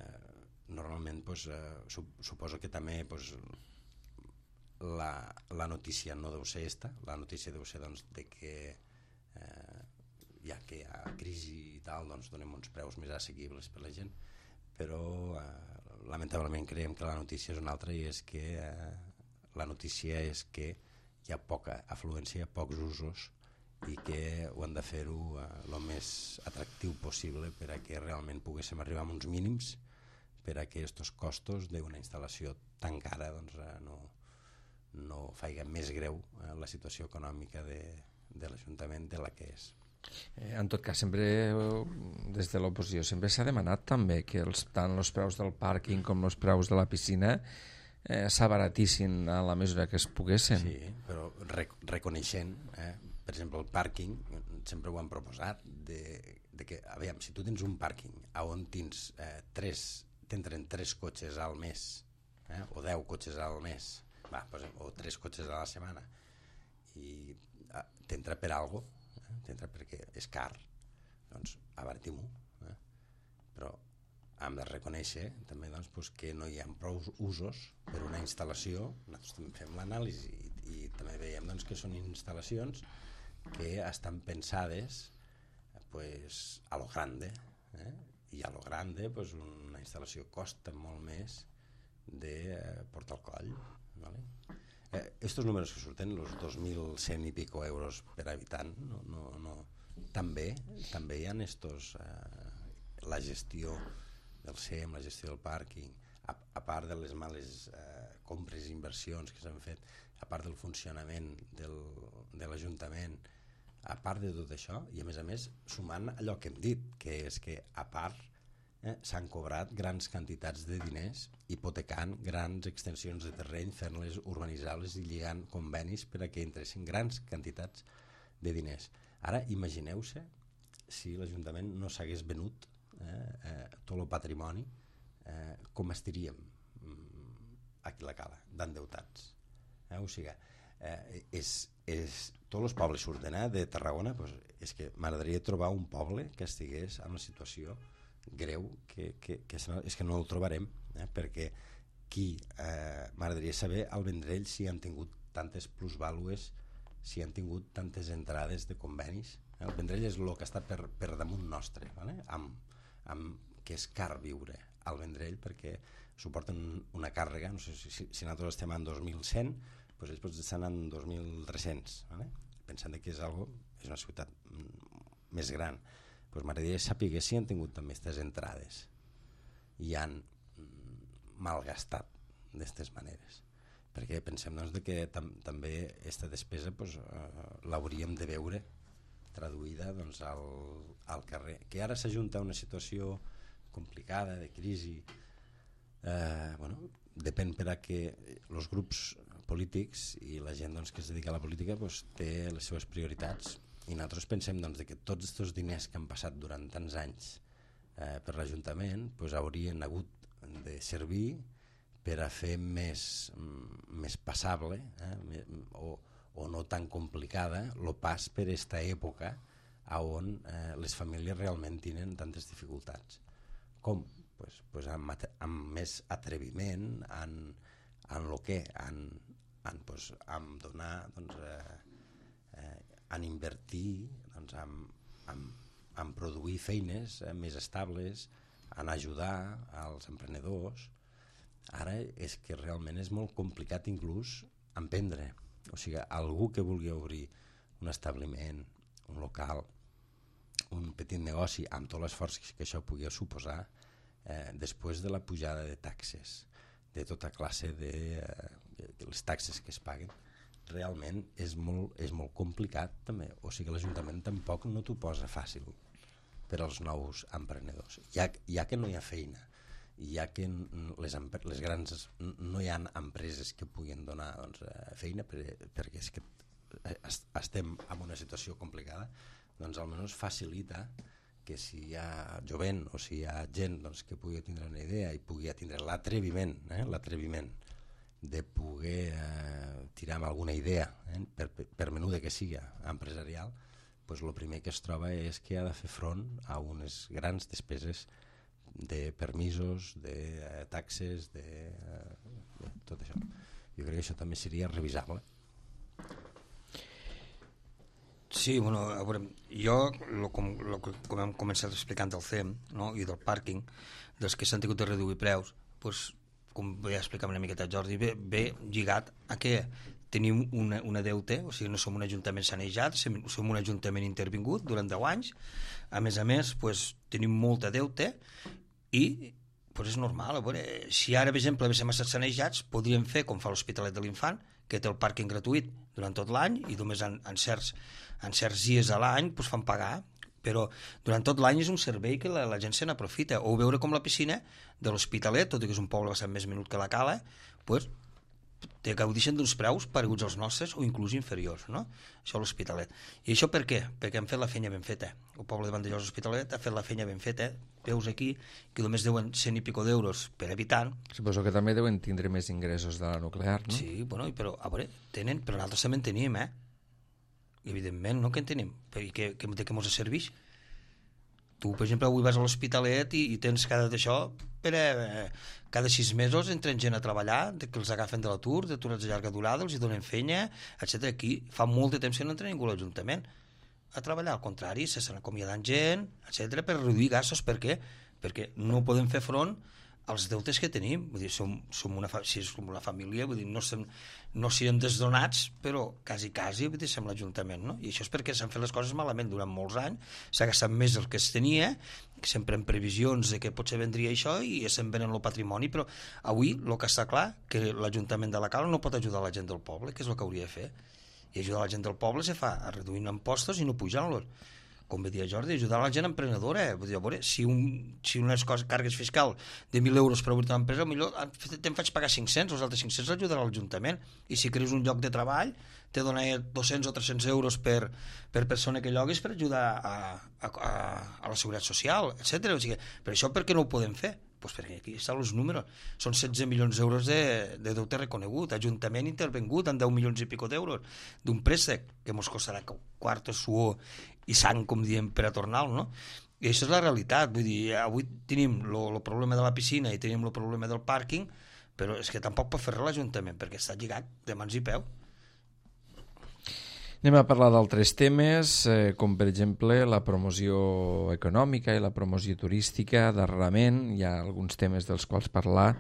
normalment pues, eh, suposo que també pues, la, la notícia no deu ser esta, la notícia deu ser doncs, de que eh, ja que hi ha crisi i tal, doncs donem uns preus més assequibles per la gent, però eh, lamentablement creiem que la notícia és una altra, i és que eh, la notícia és que hi ha poca afluència, pocs usos, i que ho han de fer-ho eh, el més atractiu possible per a que realment poguéssim arribar a uns mínims per a que aquests costos d'una instal·lació tan cara doncs, eh, no, no faiga més greu eh, la situació econòmica de, de l'Ajuntament de la que és. Eh, en tot cas, sempre des de l'oposició sempre s'ha demanat també que els, tant els preus del pàrquing com els preus de la piscina eh, s'abaratissin a la mesura que es poguessin. Sí, però rec reconeixent, eh, per exemple, el pàrquing, sempre ho han proposat, de, de que, aviam, si tu tens un pàrquing on tens eh, tres, t'entren tres cotxes al mes, eh, o deu cotxes al mes, va, pues, o tres cotxes a la setmana, i eh, t'entra per algo, eh, t'entra perquè és car, doncs abaratim-ho, eh? Però hem de reconèixer també doncs, pues, que no hi ha prou usos per una instal·lació. Nosaltres també fem l'anàlisi i, i també veiem doncs, que són instal·lacions que estan pensades pues, a lo grande, eh? I a lo grande pues, una instal·lació costa molt més de eh, portar el coll, ¿vale? Eh, estos números que surten, los dos mil cent i pico euros per habitant, no, no, no. També, també hi ha estos, eh, la gestió del S E M, la gestió del pàrquing, a, a part de les males eh, compres i inversions que s'han fet, a part del funcionament del, de l'Ajuntament, a part de tot això, i a més a més sumant allò que hem dit, que és que a part eh, s'han cobrat grans quantitats de diners hipotecant grans extensions de terreny, fent-les urbanitzables i lligant convenis per a que entressin grans quantitats de diners. Ara imagineu-se si l'Ajuntament no s'hagués venut eh, eh, tot el patrimoni, eh, com estaríem mm, aquí a la cala, d'endeutats. Eh? O sigui, eh, és, és, tots els pobles surten eh, de Tarragona, pues, és que m'agradaria trobar un poble que estigués en una situació greu, que, que, que és que no el trobarem, eh, perquè qui eh, m'agradaria saber al Vendrell si han tingut tantes plusvàlues, si han tingut tantes entrades de convenis. El Vendrell és el que està per, per damunt nostre, vale? amb, amb, que és car viure al Vendrell perquè suporten una càrrega, no sé si, si, si nosaltres estem en dos mil cent, doncs ells potser estan en dos mil tres-cents, vale? Pensant que és, algo, és una ciutat més gran. Doncs m'agradaria saber si han tingut també aquestes entrades i han malgastat d'aquestes maneres. perquè pensem doncs, de que tam també aquesta despesa doncs, eh, l'hauríem de veure traduïda doncs, al, al carrer. Que ara s'ajunta una situació complicada, de crisi, eh, bueno, depèn per a que els grups polítics i la gent doncs, que es dedica a la política doncs, té les seves prioritats, i nosaltres pensem doncs, que tots aquests diners que han passat durant tants anys eh, per l'Ajuntament doncs, haurien hagut de servir per a fer més, més passable eh, o, o no tan complicada el pas per aquesta època on eh, les famílies realment tenen tantes dificultats. Com? Pues, pues amb, amb més atreviment en, en el que? En, en, pues, en donar, doncs, eh, eh, en invertir, doncs, en, en, en produir feines eh, més estables, en ajudar als emprenedors. Ara és que realment és molt complicat inclús emprendre. O sigui, algú que vulgui obrir un establiment, un local, un petit negoci, amb tot l'esforç que això pugui suposar, eh, després de la pujada de taxes, de tota classe de, eh, de les taxes que es paguen, realment és molt, és molt complicat també. O sigui, l'Ajuntament tampoc no t'ho posa fàcil per als nous emprenedors. Ja, ja que no hi ha feina, ja que les, les grans no hi ha empreses que puguin donar doncs, feina, per, perquè és que estem en una situació complicada, doncs almenys facilita que si hi ha jovent o si hi ha gent doncs, que pugui tindre una idea i pugui tindre l'atreviment, eh, l'atreviment de poder eh, tirar amb alguna idea, eh, per, per menuda que sigui empresarial, pues el primer que es troba és que ha de fer front a unes grans despeses de permisos, de eh, taxes, de, eh, de tot això. Jo crec que això també seria revisable. Sí, bueno, a veure, jo, lo, com, lo, com hem començat explicant del C E M, no?, i del pàrquing, dels que s'han tingut de reduir preus, pues, com ja explicava una miqueta Jordi, ve, ve lligat a que tenim una, una deute, o sigui, no som un ajuntament sanejat, som un ajuntament intervingut durant deu anys, a més a més, pues, tenim molta deute i pues, és normal. A veure, si ara, per exemple, haguéssim estat sanejats, podríem fer com fa l'Hospitalet de l'Infant, que té el pàrquing gratuït durant tot l'any i només en, en, certs, en certs dies a l'any pues, fan pagar, però durant tot l'any és un servei que la, la gent se n'aprofita. O veure com la piscina de l'Hospitalet, tot i que és un poble bastant més menut que la Cala, pues, te gaudixen d'uns preus pareguts als nostres o inclús inferiors, no? Això a l'Hospitalet. I això per què? Perquè han fet la feina ben feta. El poble de Vandellòs Hospitalet ha fet la feina ben feta. Veus aquí que només deuen cent i pico d'euros per habitant. Suposo que també deuen tindre més ingressos de la nuclear, no? Sí, bueno, però a veure, tenen, però nosaltres també en tenim, eh? Evidentment, no que en tenim. I que, que, de què ens serveix? Tu, per exemple, avui vas a l'Hospitalet i, i tens cada d'això per eh, cada sis mesos entren gent a treballar, que els agafen de l'atur, d'aturats de llarga durada, els hi donen feina, etcètera. Aquí fa molt de temps que no entra ningú a l'Ajuntament a treballar, al contrari, s'estan acomiadant gent, etcètera, per reduir gastos. Per què? Perquè no podem fer front als deutes que tenim. Vull dir, som, som, una, fa, si som una família, vull dir, no, sem, no siguem desdonats, però quasi, quasi, vull dir, som l'Ajuntament, no? I això és perquè s'han fet les coses malament durant molts anys, s'ha gastat més del que es tenia, sempre en previsions de que potser vendria això i se'n venen el patrimoni, però avui el que està clar que l'Ajuntament de la Cala no pot ajudar la gent del poble, que és el que hauria de fer. I ajudar la gent del poble se fa reduint impostos i no pujant-los. Com bé dia Jordi, ajudar la gent emprenedora. Vull dir, a veure, si, un, si unes coses, càrregues fiscal de mil euros per obrir una empresa, millor te'n faig pagar cinc-cents, els altres cinc-cents l'ajudarà l'Ajuntament. I si creus un lloc de treball, te dona dos-cents o tres-cents euros per, per persona que lloguis per ajudar a, a, a, a la seguretat social, etcètera. O sigui, per això per què no ho podem fer? Pues perquè aquí estan els números. Són setze milions d'euros de, de deute reconegut, Ajuntament intervengut en deu milions i pico d'euros d'un préstec que ens costarà quarto, suor i sang, com diem, per a tornar-lo, no? I això és la realitat. Vull dir, avui tenim el problema de la piscina i tenim el problema del pàrquing, però és que tampoc pot fer res l'Ajuntament perquè està lligat de mans i peu. Anem a parlar d'altres temes, eh, com per exemple la promoció econòmica i la promoció turística. Darrerament hi ha alguns temes dels quals parlar,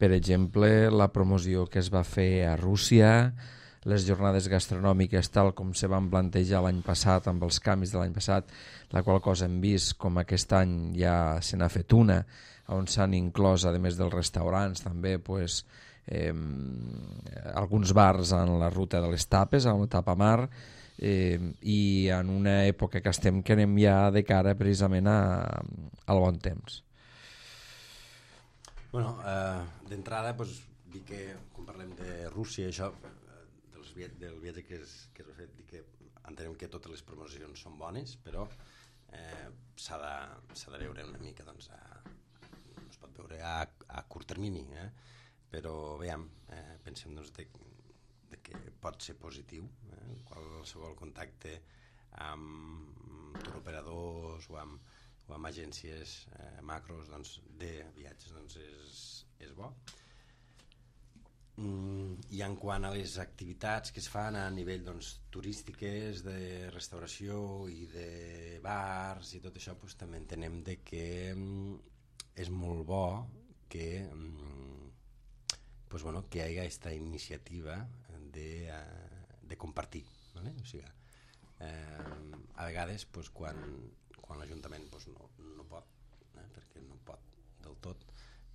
per exemple la promoció que es va fer a Rússia, les jornades gastronòmiques tal com se van plantejar l'any passat amb els canvis de l'any passat, la qual cosa hem vist com aquest any ja se n'ha fet una, on s'han inclòs, a més dels restaurants, també pues, eh, alguns bars en la ruta de les Tapes, a la Tapamar, eh, i en una època que estem que anem ja de cara precisament a, al bon temps. Bueno, eh, d'entrada, pues, dir que, quan parlem de Rússia, això, dels vi del viatge que es, que es va fer, dir que entenem que totes les promocions són bones, però eh, s'ha de, s'ha de veure una mica, doncs, a, no es pot veure a, a curt termini, eh? Però, veiem, eh, pensem, doncs, de, de que pot ser positiu, eh? Qualsevol contacte amb turoperadors o amb, o amb agències eh, macros, doncs, de viatges, doncs, és, és bo. Mm, i en quant a les activitats que es fan a nivell, doncs, turístiques, de restauració i de bars i tot això, doncs, també entenem de que mm, és molt bo que, mm, pues, bueno, que hi hagi aquesta iniciativa de, uh, de compartir, ¿vale? O sigui, eh, a vegades, pues, quan, quan l'Ajuntament, pues, no, no pot, eh, perquè no pot del tot,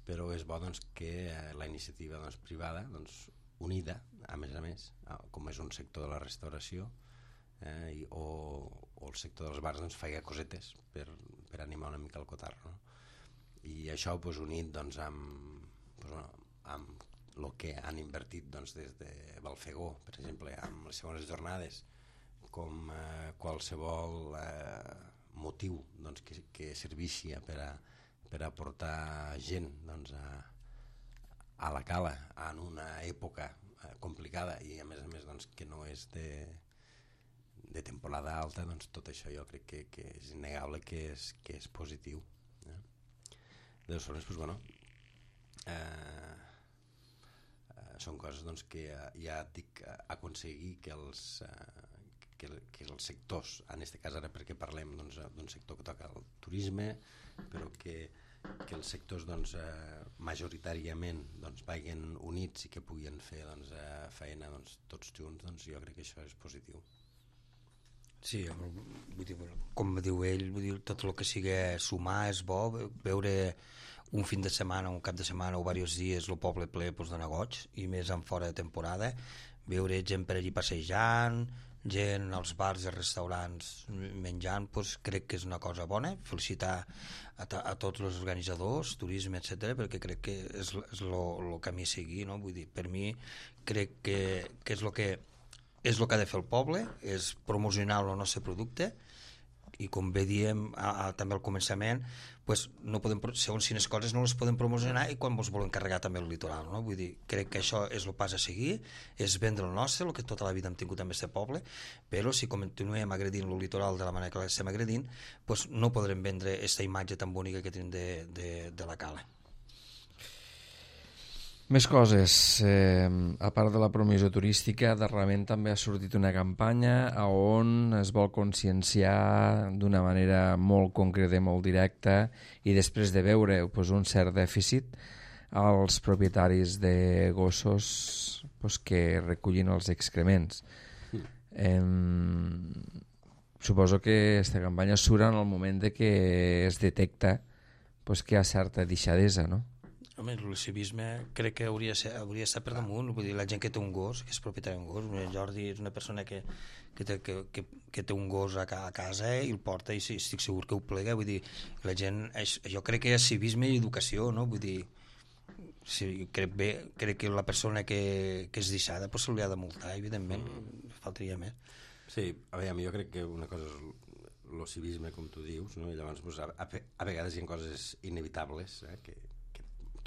però és bo, doncs, que eh, la iniciativa, doncs, privada, doncs, unida, a més a més, com és un sector de la restauració eh, i, o, o el sector dels bars, doncs, feia cosetes per, per animar una mica el cotarro, no? I això, doncs, unit, doncs, amb, doncs, bueno, amb el que han invertit, doncs, des de Balfegó, per exemple, amb les segones jornades, com eh, qualsevol eh, motiu, doncs, que, que serveixi per a per aportar gent, doncs, a, a la cala en una època eh, complicada i a més a més, doncs, que no és de, de temporada alta, doncs tot això jo crec que, que és innegable que és, que és positiu. Eh? De les formes, doncs, bueno, eh, eh, són coses, doncs, que ja dic aconseguir que els, eh, que, que els sectors, en aquest cas ara perquè parlem, doncs, d'un sector que toca el turisme, però que, que els sectors, doncs, eh, majoritàriament, doncs, vagin units i que puguin fer, doncs, eh, feina, doncs, tots junts, doncs, jo crec que això és positiu. Sí, vull dir, com diu ell, vull dir, tot el que sigui sumar és bo, veure un fin de setmana, un cap de setmana o diversos dies el poble ple, doncs, de goig, i més en fora de temporada, veure gent per allí passejant, gent als bars i restaurants menjant, doncs crec que és una cosa bona. Felicitar a, a tots els organitzadors, turisme, etcètera, perquè crec que és el camí a seguir, no? Vull dir, per mi crec que, que és el que és el que ha de fer el poble, és promocionar el nostre producte, i com bé diem a, a, també al començament, pues, no podem, segons quines coses no les podem promocionar i quan ens volen carregar també el litoral, no? Vull dir, crec que això és el pas a seguir, és vendre el nostre, el que tota la vida hem tingut amb aquest poble, però si continuem agredint el litoral de la manera que l'estem agredint, pues, no podrem vendre aquesta imatge tan bonica que tenim de, de, de la cala. Més coses, eh, a part de la promoció turística, darrerament també ha sortit una campanya on es vol conscienciar d'una manera molt concreta i molt directa, i després de veure pues, un cert dèficit als propietaris de gossos pues, que recullin els excrements. Eh, suposo que aquesta campanya surt en el moment de que es detecta pues, que hi ha certa deixadesa, no? Home, el civisme crec que hauria, ser, hauria estat per damunt. Vull dir, la gent que té un gos, que és propietari d'un gos, el Jordi és una persona que, que, té, que, que, que té un gos a, a casa i el porta i estic segur que ho plega. Vull dir, la gent, és, jo crec que és civisme i educació, no? Vull dir, sí, crec, bé, crec que la persona que, que és deixada pues, se li ha de multar, evidentment, mm. faltaria més. Sí, a veure, jo crec que una cosa és el civisme, com tu dius, no? I llavors pues, a, a vegades hi ha coses inevitables eh, que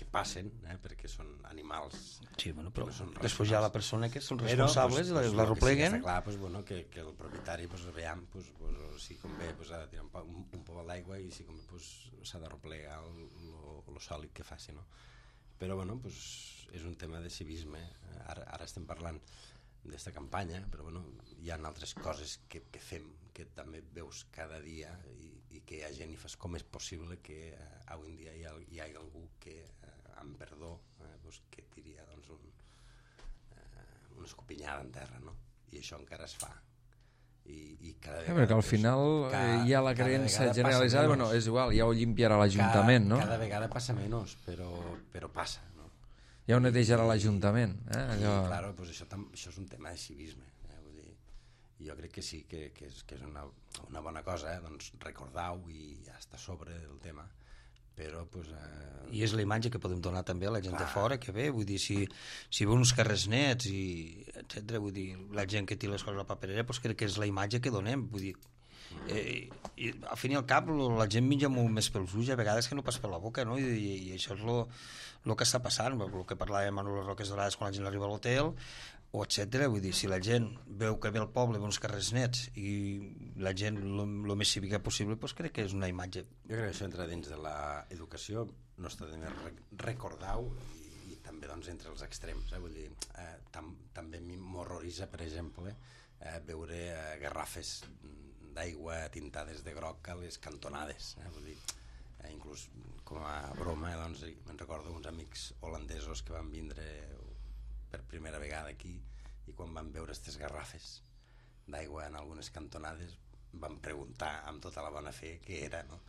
que passen, eh, perquè són animals. Sí, bueno, però després hi ha la persona que són responsables, però, pues, pues, la repleguen. Sí, està clar, pues, bueno, que, que el propietari, pues, veiem, pues, pues, si convé, pues, ha de tirar un, un, un pobal d'aigua i si convé, pues, s'ha de replegar el sòlid que faci, no? Però, bueno, pues, és un tema de civisme. Ara, ara estem parlant d'esta campanya, però, bueno, hi ha altres coses que, que fem, que també veus cada dia i, i que hi ha gent i fas com és possible que eh, avui en dia hi ha, hi ha algú que amb perdó, eh, doncs que diria doncs, un, eh, una escopinyada en terra, no? I això encara es fa. I, i cada vegada, sí, perquè al final cada, hi ha la creença generalitzada, bueno, és igual, ja ho limpiarà l'Ajuntament, no? Cada vegada passa menys, però, però passa, no? Ja ho netejarà l'Ajuntament. Eh? Allò... I, claro, pues això, tam, això és un tema de civisme. Eh? Vull dir, jo crec que sí, que, que és, que és una, una bona cosa, eh? Doncs recordar-ho i ja està sobre el tema. Però, pues, eh... I és la imatge que podem donar també a la gent Clar. de fora que ve, vull dir, si, si ve uns carrers nets i etcètera, vull dir, la gent que té les coses a la paperera, pues crec que és la imatge que donem, vull dir, eh, i al fin i al cap la gent menja molt més pels ulls a vegades que no pas per la boca, no? I, i, i això és el que està passant, el que parlàvem amb les Roques Dorades quan la gent arriba a l'hotel, o etcètera, vull dir, si la gent veu que ve al poble, ve uns carrers nets i la gent el més cívica possible, doncs crec que és una imatge. Jo crec que això entra dins de l'educació, no està de més recordar-ho i, i també doncs, entre els extrems, eh? Vull dir, eh, tam, també m'horroritza, per exemple, eh, veure eh, garrafes d'aigua tintades de groc a les cantonades, eh? Vull dir, eh, inclús com a broma, eh, doncs, me'n recordo uns amics holandesos que van vindre per primera vegada aquí i quan van veure aquestes garrafes d'aigua en algunes cantonades van preguntar amb tota la bona fe què era, no?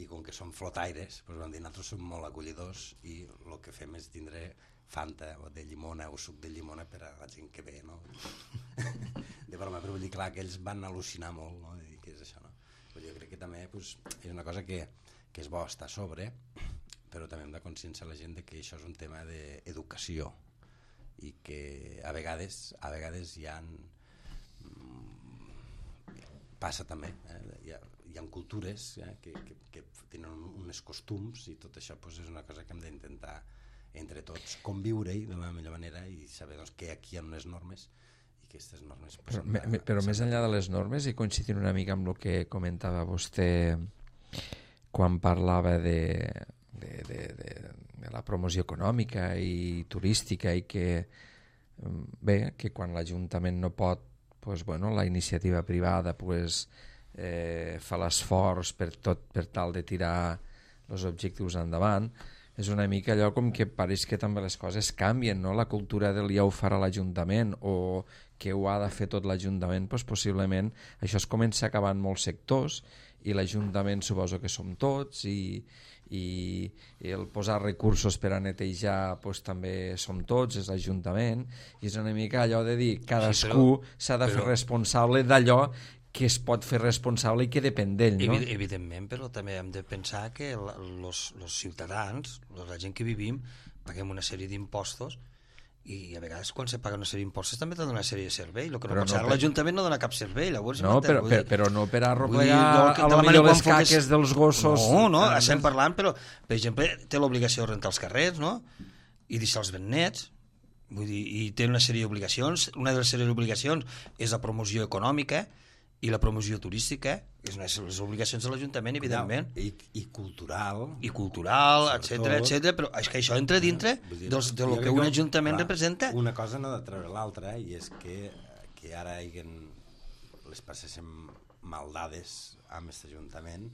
I com que són flotaires doncs van dir, nosaltres som molt acollidors i el que fem és tindre Fanta o de llimona o suc de llimona per a la gent que ve, no? De broma, però vull dir, clar, que ells van al·lucinar molt, no? De dir, què és això, no? Vull dir, jo crec que també pues, és una cosa que, que és bo estar a sobre, però també hem de conscienciar la gent de que això és un tema d'educació i que a vegades a vegades hi ha passa també eh? hi, ha, hi ha cultures eh? que, que, que tenen uns costums i tot això pues, és una cosa que hem d'intentar entre tots conviure-hi de la millor manera i saber doncs, que aquí hi ha unes normes i que aquestes normes pues, però, me, però més enllà de les normes i coincidint una mica amb el que comentava vostè quan parlava de De, de, de, de la promoció econòmica i turística i que bé, que quan l'Ajuntament no pot pues, bueno, la iniciativa privada pues, eh, fa l'esforç per, tot, per tal de tirar els objectius endavant. És una mica allò com que pareix que també les coses canvien, no? La cultura del ja ho farà l'Ajuntament o que ho ha de fer tot l'Ajuntament, doncs possiblement això es comença a acabar en molts sectors i l'Ajuntament suposo que som tots i, i, i el posar recursos per a netejar doncs, també som tots, és l'Ajuntament i és una mica allò de dir cadascú s'ha sí, de però... fer responsable d'allò que es pot fer responsable i que depèn d'ell, no? Evidentment, però també hem de pensar que els ciutadans, la gent que vivim, paguem una sèrie d'impostos i a vegades quan se paga una sèrie d'impostos també dona una sèrie de servei, el que no pot ser, l'Ajuntament no dona cap servei, llavors... No, però, per, però no per arreplegar a lo millor les caques dels gossos... No, no, estem parlant, però, per exemple, té l'obligació de rentar els carrers, no?, i deixar-los ben nets, vull dir, i té una sèrie d'obligacions, una de les sèries d'obligacions és la promoció econòmica i la promoció turística, és una de les obligacions de l'Ajuntament, evidentment. I, i cultural. I cultural, etcètera, etcètera, però és que això entra dintre dir, dels, de lo que un Ajuntament clar, representa. Una cosa no ha de treure l'altra, i és que, que ara haguem, les passéssim maldades amb aquest Ajuntament,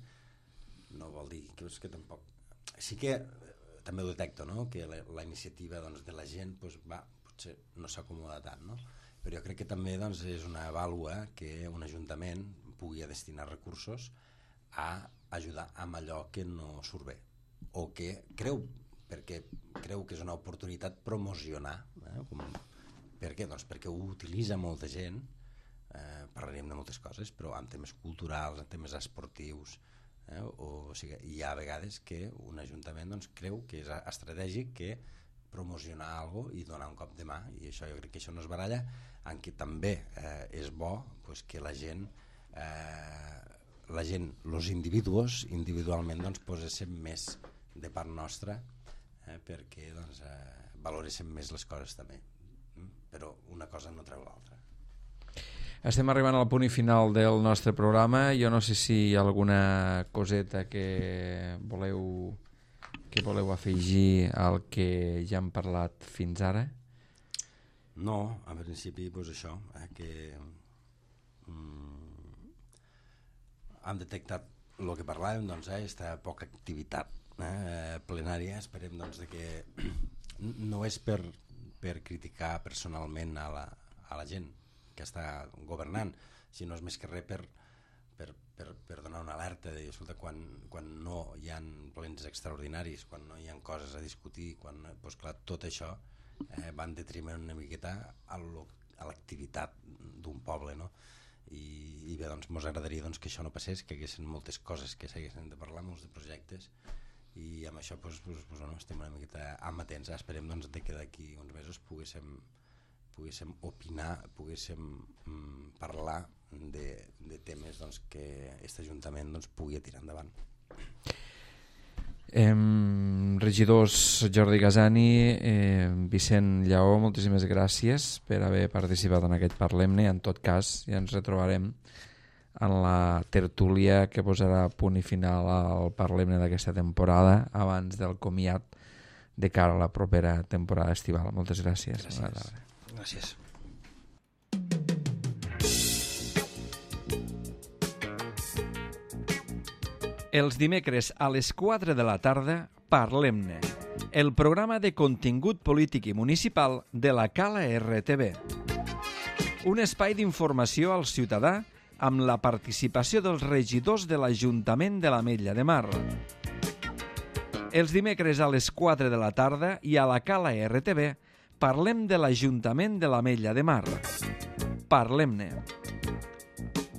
no vol dir que, és que tampoc... Sí que també ho detecto, no?, que la, la iniciativa doncs, de la gent pues, va, potser no s'acomoda tant, no?, però jo crec que també doncs, és una vàlua que un ajuntament pugui destinar recursos a ajudar amb allò que no surt bé o que creu, perquè creu que és una oportunitat promocionar, eh? Com, per què? Doncs perquè ho utilitza molta gent, eh, parlarem de moltes coses, però en temes culturals, en temes esportius, eh? o, o sigui, hi ha vegades que un ajuntament doncs, creu que és estratègic que promocionar alguna cosa i donar un cop de mà, i això jo crec que això no es baralla, en què també eh, és bo pues, que la gent eh, la gent, els individus individualment doncs, posessin més de part nostra eh, perquè doncs, eh, valoressin més les coses també, mm? Però una cosa no treu l'altra. Estem arribant al punt i final del nostre programa. Jo no sé si hi ha alguna coseta que voleu que voleu afegir al que ja hem parlat fins ara. No, en principi doncs això, eh, que mm, hem detectat el que parlàvem, doncs, eh, aquesta poca activitat eh, plenària. Esperem doncs, de que no és per, per criticar personalment a la, a la gent que està governant, sinó és més que res per, per, per, per donar una alerta de, escolta, quan, quan no hi ha plens extraordinaris, quan no hi ha coses a discutir, quan, doncs clar, tot això eh, va en detriment una miqueta a l'activitat d'un poble, no? I, i bé, doncs mos agradaria doncs, que això no passés, que hi haguessin moltes coses que s'haguessin de parlar, molts de projectes, i amb això doncs, doncs, doncs, bueno, estem una miqueta amatents. Esperem doncs, de que d'aquí uns mesos poguéssim poguéssim opinar, poguéssim mm, parlar de, de temes doncs, que aquest Ajuntament doncs, pugui tirar endavant. Eh, regidors Jordi Gasani, eh, Vicent Lleó, moltíssimes gràcies per haver participat en aquest Parlem-ne. En tot cas, ja ens retrobarem en la tertúlia que posarà punt i final al Parlem-ne d'aquesta temporada, abans del comiat de cara a la propera temporada estival. Moltes gràcies. Gràcies. Gràcies. Els dimecres a les quatre de la tarda, Parlem-ne, el programa de contingut polític i municipal de la Cala R T B. Un espai d'informació al ciutadà amb la participació dels regidors de l'Ajuntament de l'Ametlla de Mar. Els dimecres a les quatre de la tarda i a la Cala R T B parlem de l'Ajuntament de l'Ametlla de Mar. Parlem-ne.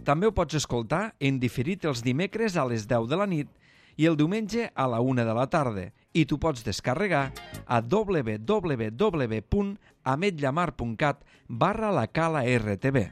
També ho pots escoltar en diferit els dimecres a les deu de la nit i el diumenge a la una de la tarda, i tu pots descarregar a w w w punt ametllamar punt cat barra la cala R T B.